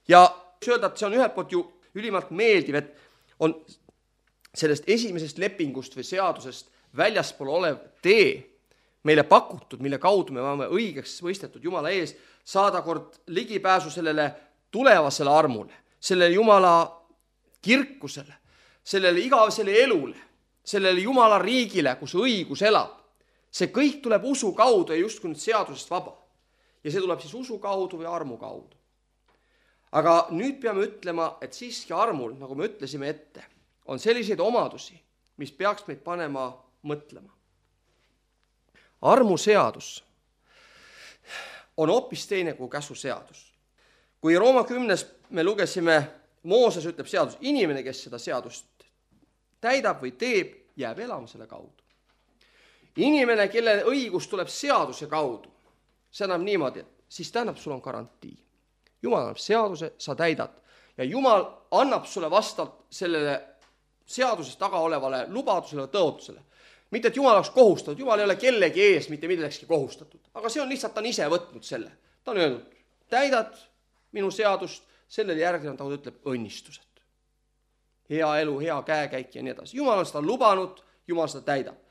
Ja öelda, et see on ühelt poolt ju ülimalt meeldiv, et on sellest esimesest lepingust või seadusest väljaspool olev tee meile pakutud, mille kaudu me oleme õigeks mõistetud Jumala ees, saada kord ligipääsu sellele tulevasele armule, sellele Jumala kirkusele, sellele igavesele elule, sellele Jumala riigile, kus õigus elab. See kõik tuleb usu kaudu ja justkui nüüd seadusest vaba. Ja see tuleb siis usu kaudu või armu kaudu. Aga nüüd peame ütlema, et siiski armul, nagu me ütlesime ette, on selliseid omadusi, mis peaks meid panema mõtlema. Armuseadus on hoopis teine kui käsuseadus. Kui Rooma kümnes me lugesime, Mooses ütleb seadus, inimene, kes seda seadust täidab või teeb, jääb elama selle kaudu. Inimene, kelle õigus tuleb seaduse kaudu, see annab niimoodi, siis tähendab, sul on garantii. Jumal annab seaduse, sa täidad. Ja Jumal annab sulle vastavalt sellele seadusest taga olevale lubadusele ja tõotusele. Mitte, et Jumal oleks kohustatud, Jumal ei ole kellegi ees mitte millekski kohustatud, aga see on lihtsalt, ta on ise võtnud selle. Ta on öelnud, täidad minu seadust, sellele järgnevad, ta ütleb õnnistused. Hea elu, hea käekäik ja nii edasi. Jumal on seda lubanud, Jumal seda täidab.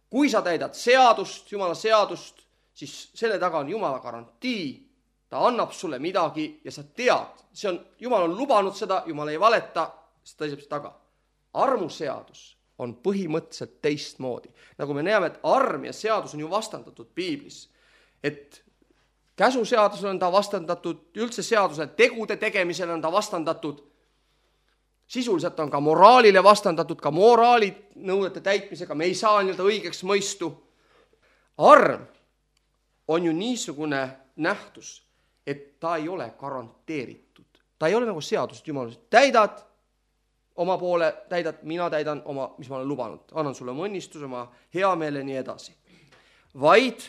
Kui sa täidad seadust, Jumala seadust, siis selle taga on Jumala garantii, ta annab sulle midagi ja sa tead, see on, Jumal on lubanud seda, Jumal ei valeta, siis ta seisab seda taga. Armuseadus on põhimõtteliselt teistmoodi. Nagu me näeme, et arm ja seadus on ju vastandatud piiblis. Et käsuseadusele on ta vastandatud, üldse seadusele, tegude tegemisele on ta vastandatud. Sisuliselt on ka moraalile vastandatud, ka moraali nõudete täitmisega. Me ei saa nii-öelda õigeks mõistu. Arm on ju niisugune nähtus, et ta ei ole garanteeritud. Ta ei ole nagu seadused, Jumal, täidad oma poole, täidad, mina täidan oma, mis ma olen lubanud. Annan sulle mõnnistus, oma hea meele nii edasi. Vaid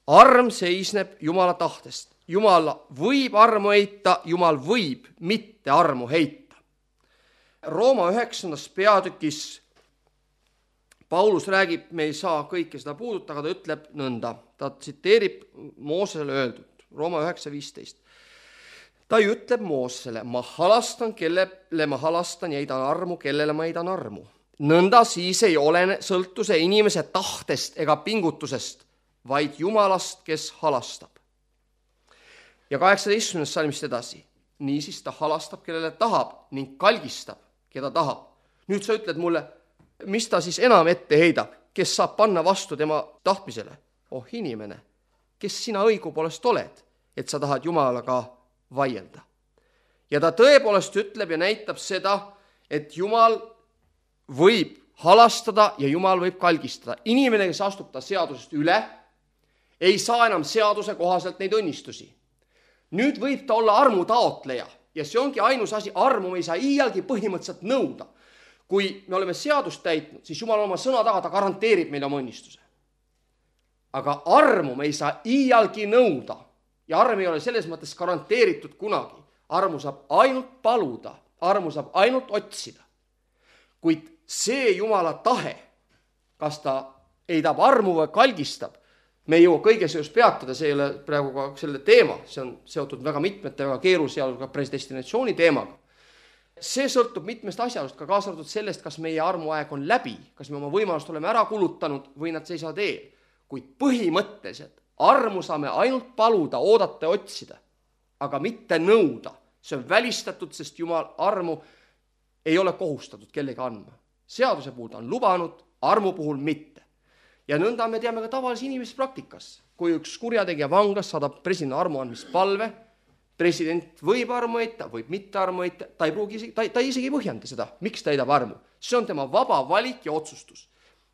arm seisneb Jumala tahtest. Jumal võib armu heita, Jumal võib mitte armu heita. Rooma üheksandas peatükis Paulus räägib, me ei saa kõike seda puuduta, aga ta ütleb nõnda. Ta tsiteerib Moosesele öeldud, Rooma üheksa viisteist. Ta ütleb Moosesele, ma halastan, kellele ma halastan ja heidan armu, kellele ma heidan armu. Nõnda siis ei ole sõltuse inimese tahtest ega pingutusest, vaid Jumalast, kes halastab. Ja kaheksateistkümnendast salmist edasi. Niisiis ta halastab, kellele tahab ning kalgistab, keda tahab. Nüüd sa ütled mulle, mis ta siis enam ette heidab, kes saab panna vastu tema tahtmisele? Oh inimene, kes sina õigupoolest oled, et sa tahad Jumalaga vaielda. Ja ta tõepoolest ütleb ja näitab seda, et Jumal võib halastada ja Jumal võib kalgistada. Inimene, kes astub ta seadusest üle, ei saa enam seaduse kohaselt neid õnnistusi. Nüüd võib ta olla armu taotleja ja see ongi ainus asi, armu me ei saa iialgi põhimõtteliselt nõuda. Kui me oleme seadust täitnud, siis Jumal oma sõna taga, ta garanteerib meile oma õnnistuse. Aga armu me ei saa iialgi nõuda ja arm ei ole selles mõttes garanteeritud kunagi. Armu saab ainult paluda, armu saab ainult otsida. Kuid see Jumala tahe, kas ta heidab armu või kalgistab, me ei jõua kõige seos peatada, see ei ole praegu ka selle teema, see on seotud väga mitmete väga keerus ja ka predestinatsiooni teemaga. See sõltub mitmest asjalust, ka kaasa arvatud sellest, kas meie armuaeg on läbi, kas me oma võimalust oleme ära kulutanud või nad seisavad eel. Kuid põhimõtteliselt armu saame ainult paluda, oodata ja otsida, aga mitte nõuda. See on välistatud, sest Jumal armu ei ole kohustatud kellegi andma. Seaduse puhul ta on lubanud, armu puhul mitte. Ja nõnda me teame ka tavalise inimese praktikas. Kui üks kurjategija vanglas saadab president armu andmist palve, president võib armu heita, võib mitte armu heita, ta ei pruugi, ta, ta isegi ei põhjenda seda, miks ta heidab armu. See on tema vaba valik ja otsustus.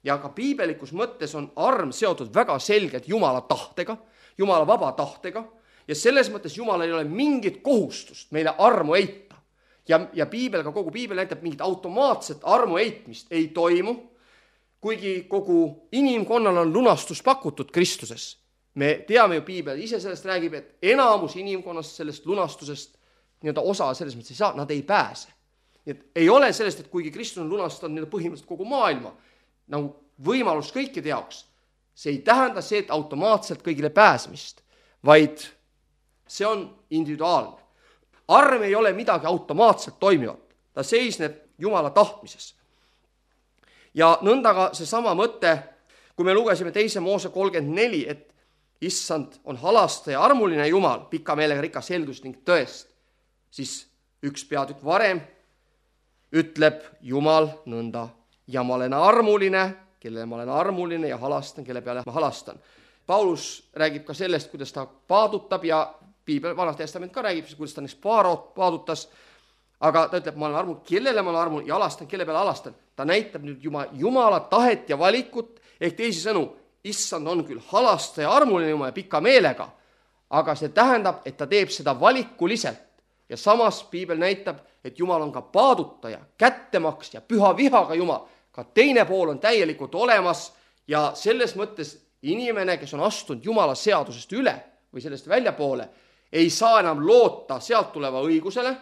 Ja ka piibelikus mõttes on arm seotud väga selgelt Jumala tahtega, Jumala vaba tahtega, ja selles mõttes Jumal ei ole mingit kohustust meile armu heita. Ja, ja piibel, ka kogu piibel näitab mingit automaatset armu heitmist ei toimu, kuigi kogu inimkonnal on lunastus pakutud Kristuses. Me teame ju piibel, ise sellest räägib, et enamus inimkonnast sellest lunastusest nii-öelda osa selles mõttes ei saa, nad ei pääse. Nii et ei ole sellest, et kuigi Kristus on lunastanud nii-öelda põhimõtteliselt kogu maailma, nagu võimalus kõikide jaoks, see ei tähenda see, et automaatselt kõigile pääsemist, vaid see on individuaalne. Arm ei ole midagi automaatselt toimivat, ta seisneb Jumala tahtmises. Ja nõndaga see sama mõte, kui me lugesime teise Moose kolmkümmend neli, et issand on halastaja ja armuline Jumal, pika meelega rikas heldust ning tõest, siis üks peatükk varem ütleb Jumal nõnda, ja ma olen armuline, kellele ma olen armuline ja halastan, kelle peale ma halastan. Paulus räägib ka sellest, kuidas ta paadutab ja piibel, Vanas Testament ka räägib, kuidas ta neist paadutas, aga ta ütleb, ma olen armuline, kellele ma olen armuline ja halastan, kelle peale halastan. Ta näitab nüüd Jumala tahet ja valikut, ehk teisisõnu, issand on küll halastaja armuline Jumal ja pika meelega, aga see tähendab, et ta teeb seda valikuliselt. Ja samas piibel näitab, et Jumal on ka paadutaja, kättemaks ja püha vihaga Jumal. Ka teine pool on täielikult olemas ja selles mõttes inimene, kes on astunud Jumala seadusest üle või sellest väljapoole, ei saa enam loota sealt tuleva õigusele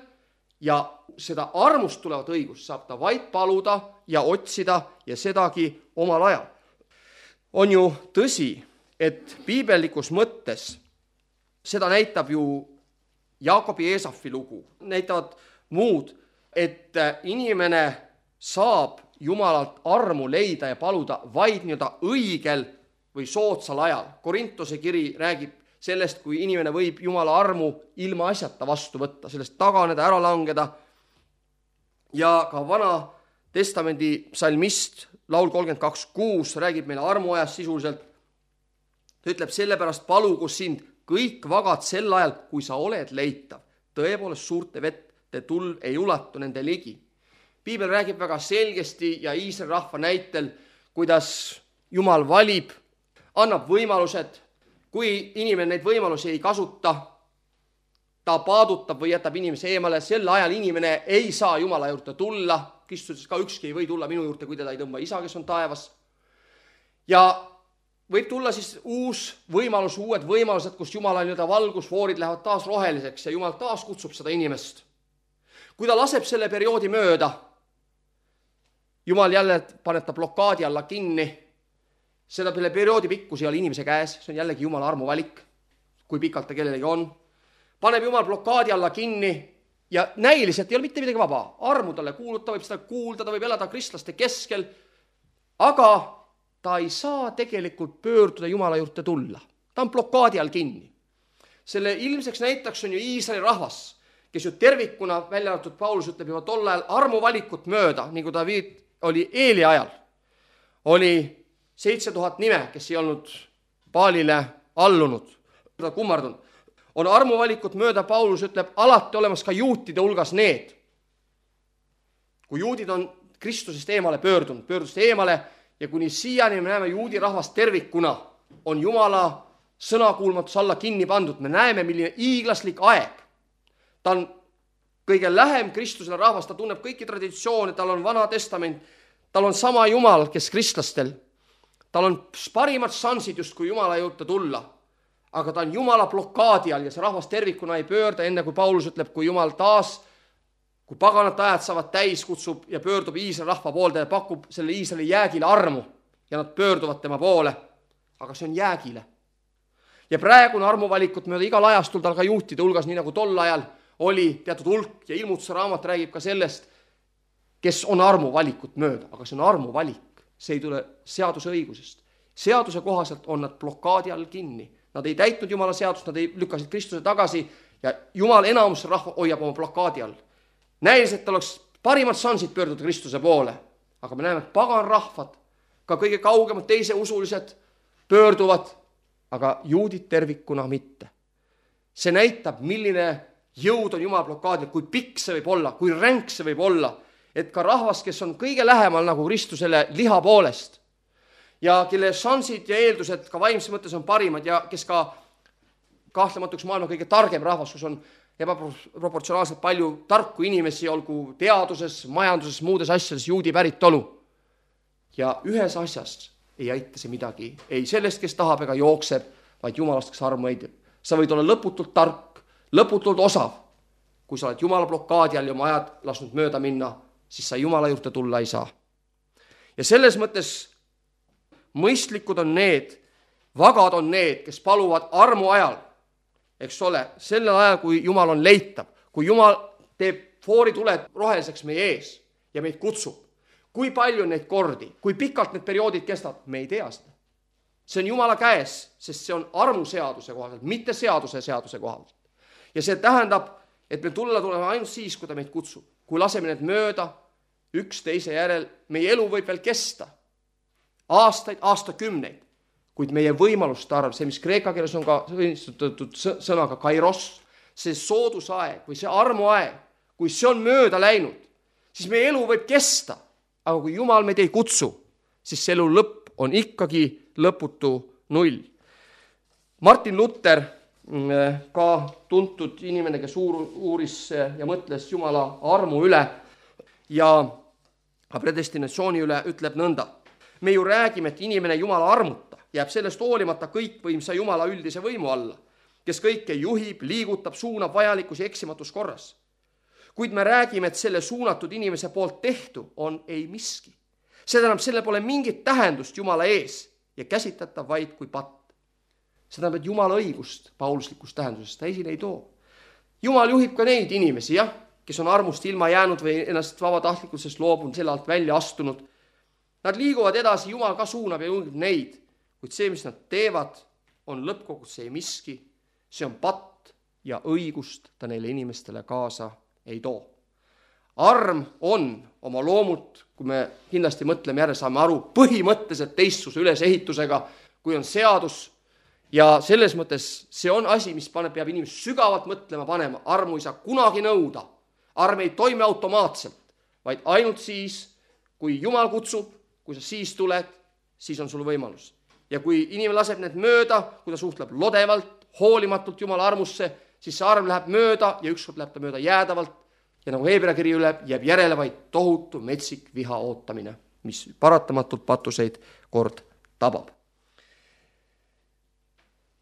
ja seda armust tulevat õigust saab ta vaid paluda ja otsida ja sedagi omal ajal. On ju tõsi, et piibellikus mõttes seda näitab ju Jaakobi Eesafi lugu, näitavad muud, et inimene saab Jumalalt armu leida ja paluda vaid nii-öelda õigel või soodsal ajal. Korintuse kiri räägib sellest, kui inimene võib Jumala armu ilma asjata vastu võtta, sellest taganeda, ära langeda. Ja ka Vana Testamendi psalmist laul kolmkümmend kaks kuus räägib meile armuajast sisuliselt. Ta ütleb, sellepärast palugu sind kõik vagad sel ajal, kui sa oled leitav. Tõepoolest suurte vette tulv ei ulatu nende ligi. Piibel räägib väga selgesti ja Iisraeli rahva näitel, kuidas Jumal valib, annab võimalused. Kui inimene neid võimalusi ei kasuta, ta paadutab või jätab inimese eemale, sel ajal inimene ei saa Jumala juurde tulla. Kristuses ka ükski ei või tulla minu juurde, kui teda ei tõmba isa, kes on taevas. Ja võib tulla siis uus võimalus, uued võimalused, kus Jumala nii-öelda valgusfoorid lähevad taas roheliseks ja Jumal taas kutsub seda inimest. Kui ta laseb selle perioodi mööda, Jumal jälle paneb ta blokaadi alla kinni, seda perioodi pikkus ei ole inimese käes, see on jällegi Jumala armuvalik, kui pikalt ta kellelegi on. Paneb Jumal blokaadi alla kinni ja näiliselt ei ole mitte midagi vaba. Armu talle kuulud, ta võib seda kuulda, ta võib elada kristlaste keskel, aga ta ei saa tegelikult pöörduda Jumala juurde tulla. Ta on blokaadi all kinni. Selle ilmseks näitaks on ju Iisraeli rahvas, kes ju tervikuna, välja arvatud Paulus ütleb juba tol ajal armuvalikut mööda, nagu ta oli Eeli ajal. Oli seitse tuhat nime, kes ei olnud Baalile allunud, kummardunud. On armuvalikut mööda, Paulus ütleb, alati olemas ka juutide hulgas need. Kui juudid on Kristusest eemale pöördunud, pöördust eemale ja kuni siiani me näeme juudi rahvast tervikuna, on Jumala sõnakuulmatus alla kinni pandud. Me näeme, milline iiglaslik aeg. Ta on kõige lähem Kristusele rahvas, ta tunneb kõiki traditsioone, tal on vana testament, tal on sama Jumal, kes kristlastel. Tal on parimad šansid just, kui Jumala juurde tulla. Aga ta on Jumala blokaadi all ja see rahvas tervikuna ei pöörda, enne kui Paulus ütleb, kui Jumal taas, kui paganate ajad saavad täis, kutsub ja pöördub Iisraeli rahva poolde ja pakub selle Iisraeli jäägile armu ja nad pöörduvad tema poole. Aga see on jäägile. Ja praegune armuvalikut mööda igal ajastul tal ka juhtide hulgas, nii nagu tol ajal oli teatud hulk ja ilmutuse raamat räägib ka sellest, kes on armuvalikut mööda, aga see on armuvalik, see ei tule seaduse õigusest. Seaduse kohaselt on nad blokaadi all kinni. Nad ei täitnud Jumala seadust, nad ei lükkasid Kristuse tagasi ja Jumal enamus rahva hoiab oma blokaadi all. Näilis, et oleks parimad šansid pöörduda Kristuse poole, aga me näeme, et pagan rahvad, ka kõige kaugemad teise usulised pöörduvad, aga juudid tervikuna mitte. See näitab, milline jõud on Jumala blokaadil, kui pikk see võib olla, kui ränk see võib olla, et ka rahvas, kes on kõige lähemal nagu Kristusele liha poolest ja kelle šansid ja eeldused ka vaimse mõttes on parimad ja kes ka kahtlematuks maailma kõige targem rahvas, kus on ebaproportsionaalselt palju tarku inimesi, olgu teaduses, majanduses, muudes asjades, juudi päritolu. Ja ühes asjas ei aita see midagi, ei sellest, kes tahab ega jookseb, vaid Jumalast, kes armu eidib. Sa võid olla lõputult tark, lõputult osav. Kui sa oled Jumala blokaadi all ja oma ajad lasknud mööda minna, siis sa Jumala juurde tulla ei saa. Ja selles mõttes mõistlikud on need, vagad on need, kes paluvad armu ajal, eks ole, sellel ajal, kui Jumal on leitav, kui Jumal teeb foorituled roheliseks meie ees ja meid kutsub. Kui palju neid kordi, kui pikalt need perioodid kestavad, me ei tea seda. See on Jumala käes, sest see on armuseaduse kohaselt, mitte seaduse seaduse kohaselt. Ja see tähendab, et me tulla tuleme ainult siis, kui ta meid kutsub. Kui laseme need mööda, üks teise järel, meie elu võib veel kesta. Aastaid, aastakümneid, kuid meie võimaluste arv, see, mis kreeka keeles on ka sõnaga kairos, see soodusaeg või see armuaeg, kui see on mööda läinud, siis meie elu võib kesta. Aga kui Jumal meid ei kutsu, siis see elu lõpp on ikkagi lõputu null. Martin Luther, ka tuntud inimene, kes uuris ja mõtles Jumala armu üle ja predestinatsiooni üle, ütleb nõnda. Me ju räägime, et inimene Jumala armuta, jääb sellest hoolimata kõikvõimsa Jumala üldise võimu alla, kes kõike juhib, liigutab, suunab vajalikus ja eksimatus korras. Kuid me räägime, et selle suunatud inimese poolt tehtu on ei miski. See tähendab, selle pole mingit tähendust Jumala ees ja käsitletav vaid kui patt. See tähendab, et Jumala õigust pauluslikust tähendusest ta esile ei too. Jumal juhib ka neid inimesi, jah, kes on armust ilma jäänud või ennast vabatahtlikkusest loobunud, selle alt välja astunud. Nad liiguvad edasi, Jumal ka suunab ja juhib neid, kuid see, mis nad teevad, on lõppkogus ei miski, see on patt ja õigust ta neile inimestele kaasa ei too. Arm on oma loomult, kui me kindlasti mõtleme järje, saame aru, põhimõtteliselt teistsuse ülesehitusega, kui on seadus ja selles mõttes see on asi, mis paneb, peab inimest sügavalt mõtlema panema. Armu ei saa kunagi nõuda. Arm ei toimi automaatselt, vaid ainult siis, kui Jumal kutsub, kui sa siis tuled, siis on sul võimalus. Ja kui inimene laseb need mööda, kui ta suhtleb lodevalt, hoolimatult Jumala armusse, siis see arm läheb mööda ja ükskord läheb ta mööda jäädavalt ja nagu Heebrea kiri üle, jääb järele vaid tohutu metsik viha ootamine, mis paratamatult patuseid kord tabab.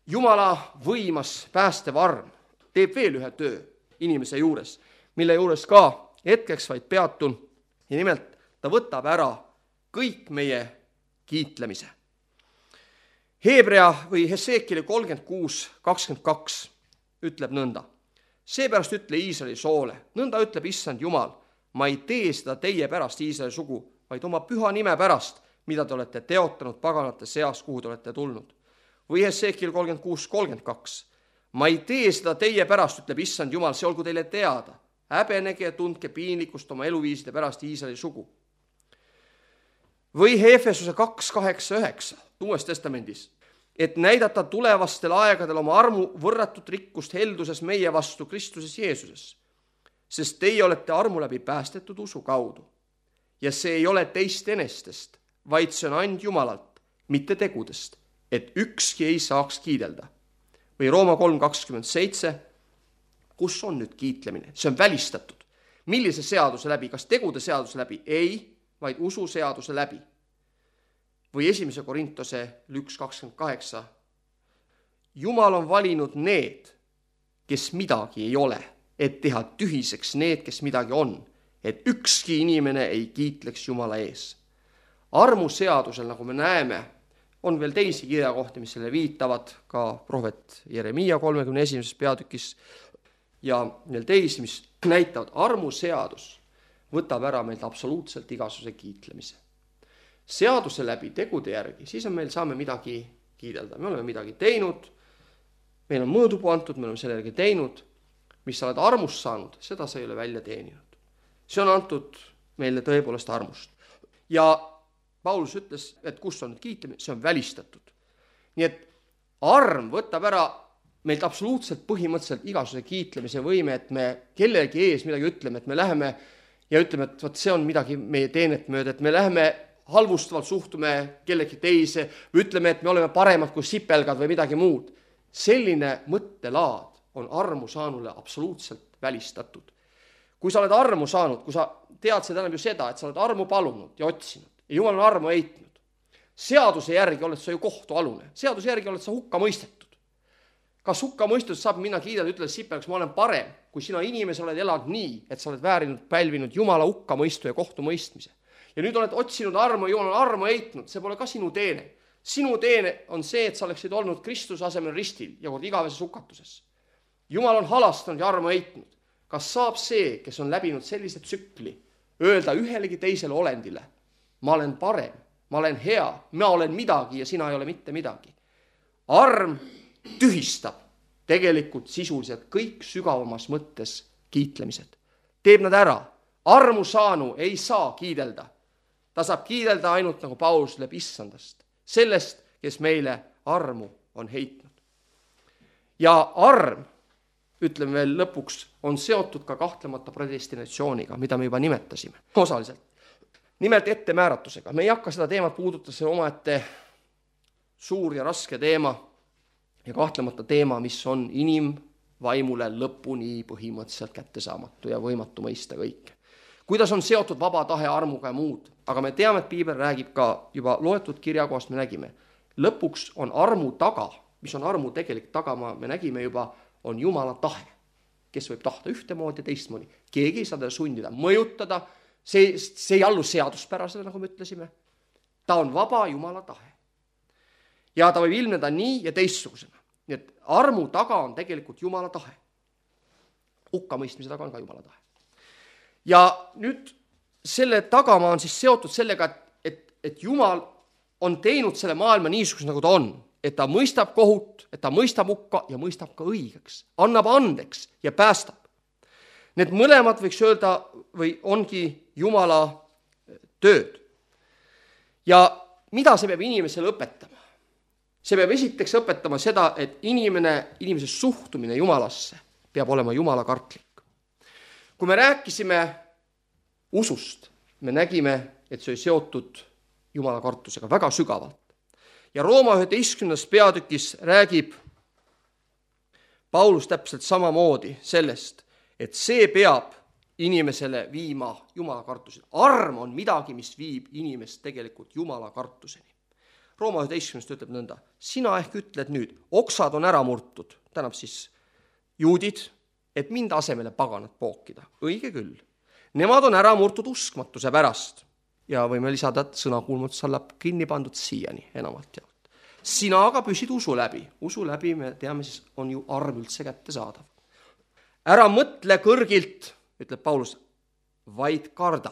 Jumala võimas päästev arm teeb veel ühe töö inimese juures, mille juures ka hetkeks vaid peatun ja nimelt ta võtab ära kõik meie kiitlemise. Heebrea või Heseekile kolmkümmend kuus kakskümmend kaks ütleb nõnda. Seepärast ütle Iisraeli soole, nõnda ütleb issand Jumal, ma ei tee seda teie pärast Iisraeli sugu, vaid oma püha nime pärast, mida te olete teotanud paganate seas, kuhu te olete tulnud. Või Heseekile kolmkümmend kuus kolmkümmend kaks. Ma ei tee seda teie pärast, ütleb issand Jumal, see olgu teile teada. Häbenege ja tundke piinlikkust oma eluviiside pärast Iisraeli sugu. Või Efesuse kaks kaheksa üheksa, Uues testamendis, et näidata tulevastel aegadel oma armu võrratut rikkust helduses meie vastu Kristuses Jeesuses. Sest teie olete armu läbi päästetud usu kaudu. Ja see ei ole teist enestest, vaid see on and Jumalalt, mitte tegudest, et ükski ei saaks kiidelda. Või Rooma kolm kakskümmend seitse, kus on nüüd kiitlemine? See on välistatud. millise seaduse läbi? Kas tegude seaduse läbi? Ei, vaid ususeaduse läbi. Või esimese Korintuse üks kakskümmend kaheksa. Jumal on valinud need, kes midagi ei ole, et teha tühiseks need, kes midagi on, et ükski inimene ei kiitleks Jumala ees. Armuseadusel, nagu me näeme, on veel teisi kirjakohti, mis selle viitavad, ka prohvet Jeremiia kolmekümne esimeses peatükis ja veel teisi, mis näitavad, armuseadus võtab ära meilt absoluutselt igasuguse kiitlemise. Seaduse läbi, tegude järgi, siis on meil, saame midagi kiidelda. Me oleme midagi teinud, meil on mõõdupuu antud, me oleme selle järgi teinud, mis sa oled armust saanud, seda sa ei ole välja teeninud. See on antud meile tõepoolest armust. Ja Paulus ütles, et kus on kiitlemine, see on välistatud. Nii et arm võtab ära meilt absoluutselt põhimõtteliselt igasuguse kiitlemise võime, et me kellegi ees midagi ütleme, et me läheme ja ütleme, et võt, see on midagi meie teenet mööda, et me läheme halvustavalt suhtume kellegi teise või ütleme, et me oleme paremad kui sipelgad või midagi muud. Selline mõttelaad on armu saanule absoluutselt välistatud. Kui sa oled armu saanud, kui sa tead, see tähendab ju seda, et sa oled armu palunud ja otsinud ja Jumal on armu heitnud. Seaduse järgi oled sa ju kohtualune. Seaduse järgi oled sa hukka mõistetud. Kas hukka mõistetud saab minna kiidada, ütelda sipelgaks, ma olen parem, kui sina inimese oled elanud nii, et sa oled väärinud, pälvinud Jumala hukka mõistu ja kohtu mõistmise. Ja nüüd oled otsinud armu, Jumal on armu heitnud, see pole ka sinu teene. Sinu teene on see, et sa oleksid olnud Kristuse asemel ristil ja kord igaveses hukatuses. Jumal on halastanud ja armu heitnud. Kas saab see, kes on läbinud sellise tsükli, öelda ühelegi teisele olendile, ma olen parem, ma olen hea, ma olen midagi ja sina ei ole mitte midagi. Arm tühistab tegelikult sisuliselt kõik sügavamas mõttes kiitlemised. Teeb nad ära. Armu saanu ei saa kiidelda. Ta saab kiidelda ainult, nagu Paulus ütleb, issandast. Sellest, kes meile armu on heitnud. Ja arm, ütleme veel lõpuks, on seotud ka kahtlemata predestinatsiooniga, mida me juba nimetasime. Osaliselt. Nimelt ettemääratusega. Me ei hakka seda teemat puudutada, see omaette suur ja raske teema ja kahtlemata teema, mis on inimvaimule lõpuni põhimõtteliselt kättesaamatu ja võimatu mõista kõike. Kuidas on seotud vaba tahe armuga ja muud, aga me teame, et Piibel räägib ka juba loetud kirjakohast, me nägime. Lõpuks on armu taga, mis on armu tegelik tagama, me nägime juba, on Jumala tahe, kes võib tahta ühtemoodi ja teistmoodi. Keegi ei saa teda sundida, mõjutada, see, see ei allu seaduspärasele, nagu me ütlesime. Ta on vaba Jumala tahe. Ja ta võib ilmneda nii ja teistsugusena. Nii et armu taga on tegelikult Jumala tahe. Hukkamõistmise taga on ka Jumala tahe. Ja nüüd selle tagamaa on siis seotud sellega, et, et Jumal on teinud selle maailma niisuguse, nagu ta on. Et ta mõistab kohut, et ta mõistab hukka ja mõistab ka õigeks. Annab andeks ja päästab. Need mõlemad võiks öelda või ongi Jumala tööd. Ja mida see peab inimesele õpetama? See peab esiteks õpetama seda, et inimene, inimese suhtumine Jumalasse peab olema Jumala kartlik. Kui me rääkisime usust, me nägime, et see oli seotud Jumala kartusega väga sügavalt. Ja Rooma üheteistkümnes peatükis räägib Paulus täpselt samamoodi sellest, et see peab inimesele viima Jumala kartuseni. Arm on midagi, mis viib inimest tegelikult Jumala kartuseni. Rooma üheteistkümnest ütleb nõnda, sina ehk ütled nüüd, oksad on ära murtud, tähendab siis juudid, et mind asemele paganat pookida. Õige küll. Nemad on ära murtud uskmatuse pärast. Ja võime lisada, et sõnakuulmutus on kinni pandud siiani enamalt jaolt. Sina aga püsid usu läbi. Usu läbi, me teame, siis on ju arm üldse kätte saadav. Ära mõtle kõrgilt, ütleb Paulus, vaid karda.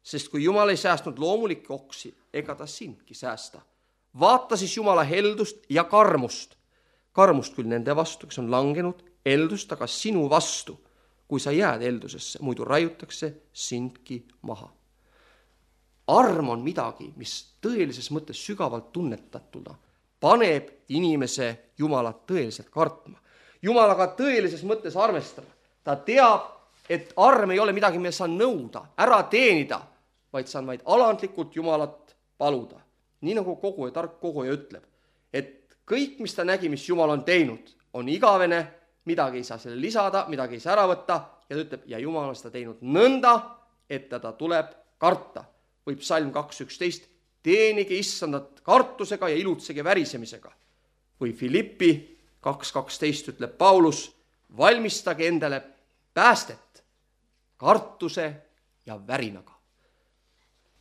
Sest kui Jumal ei säästnud loomulikke oksi, ega ta sindki säästa. Vaata siis Jumala heldust ja karmust. Karmust küll nende vastu, kes on langenud, eldust aga sinu vastu, kui sa jääd eldusesse, muidu raiutakse sindki maha. Arm on midagi, mis tõelises mõttes sügavalt tunnetatuna paneb inimese Jumalat tõeliselt kartma. Jumalaga tõelises mõttes armestama. Ta teab, et arm ei ole midagi, mida saan nõuda, ära teenida, vaid saan vaid alandlikult Jumalat paluda. Nii nagu koguja, tark koguja ütleb, et kõik, mis ta nägi, mis Jumal on teinud, on igavene midagi ei saa selle lisada, midagi ei saa ära võtta ja ta ütleb, ja Jumal on seda teinud nõnda, et teda tuleb karta. Või psalm kaks üksteist, teenige issandat kartusega ja ilutsege värisemisega. Või Filippi kaks kaksteist ütleb Paulus, valmistage endale päästet kartuse ja värinaga.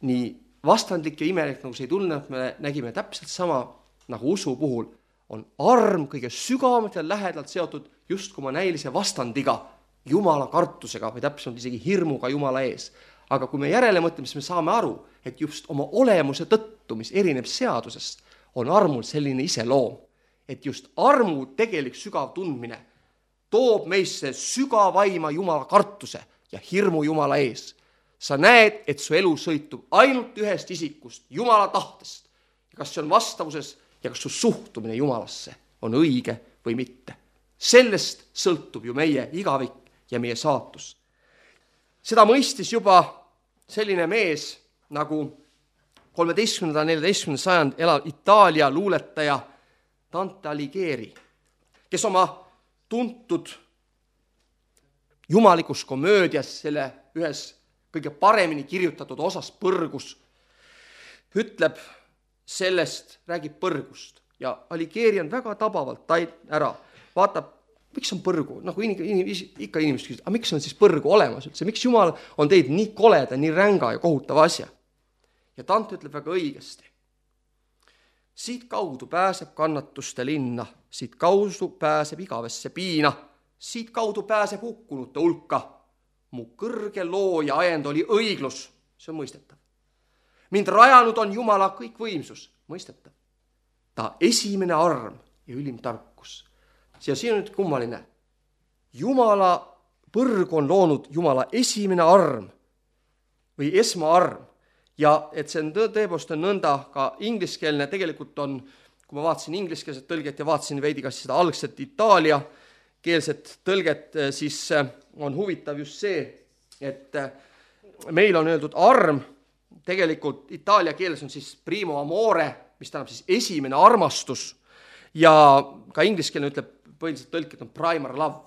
Nii vastandlik ja imelik, nagu see ei tunne, et me nägime täpselt sama nagu usu puhul, on arm kõige sügavamalt ja lähedalt seotud just kui ma näilise vastandiga, Jumala kartusega või täpselt isegi hirmuga Jumala ees. Aga kui me järele mõtleme, siis me saame aru, et just oma olemuse tõttu, mis erineb seadusest, on armul selline iseloom, et just armu tegelik sügav tundmine toob meisse sügavaima Jumala kartuse ja hirmu Jumala ees. Sa näed, et su elu sõitub ainult ühest isikust, Jumala tahtest. Ja kas see on vastavuses ja kas su suhtumine Jumalasse on õige või mitte. Sellest sõltub ju meie igavik ja meie saatus. Seda mõistis juba selline mees nagu kolmeteistkümnenda ja neljateistkümnenda sajand elav Itaalia luuletaja Dante Alighieri, kes oma tuntud jumalikus komöödias, selle ühes kõige paremini kirjutatud osas Põrgus, ütleb sellest, räägib põrgust ja Alighieri on väga tabavalt ära, vaatab, miks on põrgu, nagu in, in, ikka inimesed küsivad, aga miks on siis põrgu olemas üldse, miks Jumal on teid nii koleda, nii ränga ja kohutava asja. Ja Dante ütleb väga õigesti. Siit kaudu pääseb kannatuste linna, siit kaudu pääseb igavesse piina, siit kaudu pääseb hukkunute hulka. Mu kõrge loo ja ajend oli õiglus, see on mõistetav. Mind rajanud on Jumala kõik võimsus, mõistetav. Ta esimene arm ja ülim tarkus. Ja siin on nüüd kummaline. Jumala põrg on loonud Jumala esimene arm või esmaarm. Ja et see on tõepoolest on nõnda ka ingliskeelne, tegelikult on, kui ma vaatasin ingliskeelset tõlget ja vaatasin veidi kas seda algset Itaalia keelset tõlget, siis on huvitav just see, et meil on öeldud arm, tegelikult Itaalia keeles on siis primo amore, mis tähendab siis esimene armastus ja ka ingliskeelne ütleb põhiliselt tõlket on primary love,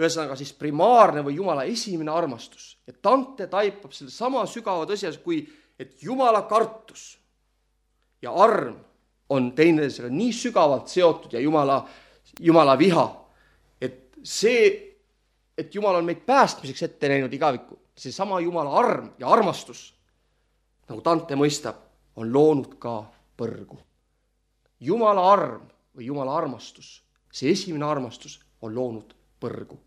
ühesõnaga siis primaarne või Jumala esimene armastus. Ja Dante taipab selle sama sügava tõsias, kui et Jumala kartus ja arm on teineteisega nii sügavalt seotud ja Jumala, Jumala viha, et see, et Jumal on meid päästmiseks ette näinud igaviku, see sama Jumala arm ja armastus, nagu Dante mõistab, on loonud ka põrgu. Jumala arm või Jumala armastus, see esimene armastus on loonud põrgu.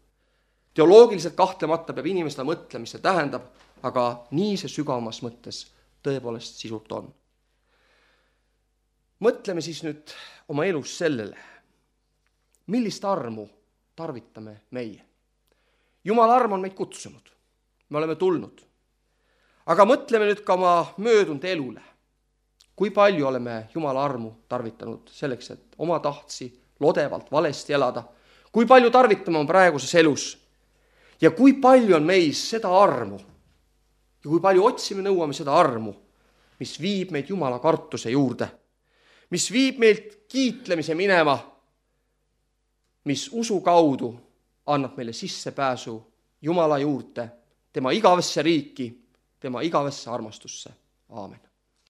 Teoloogiliselt kahtlemata peab inimesele mõtlema, mis see tähendab, aga nii see sügavamas mõttes tõepoolest sisult on. Mõtleme siis nüüd oma elus sellele, millist armu tarvitame meie. Jumala arm on meid kutsunud, me oleme tulnud. Aga mõtleme nüüd ka oma möödunud elule. Kui palju oleme Jumala armu tarvitanud selleks, et oma tahtsi lodevalt valesti elada? Kui palju tarvitame on praeguses elus? Ja kui palju on meis seda armu? Ja kui palju otsime, nõuame seda armu, mis viib meid Jumala kartuse juurde, mis viib meilt kiitlemise minema, mis usu kaudu annab meile sissepääsu Jumala juurde, tema igavesse riiki, tema igavesse armastusse. Aamen.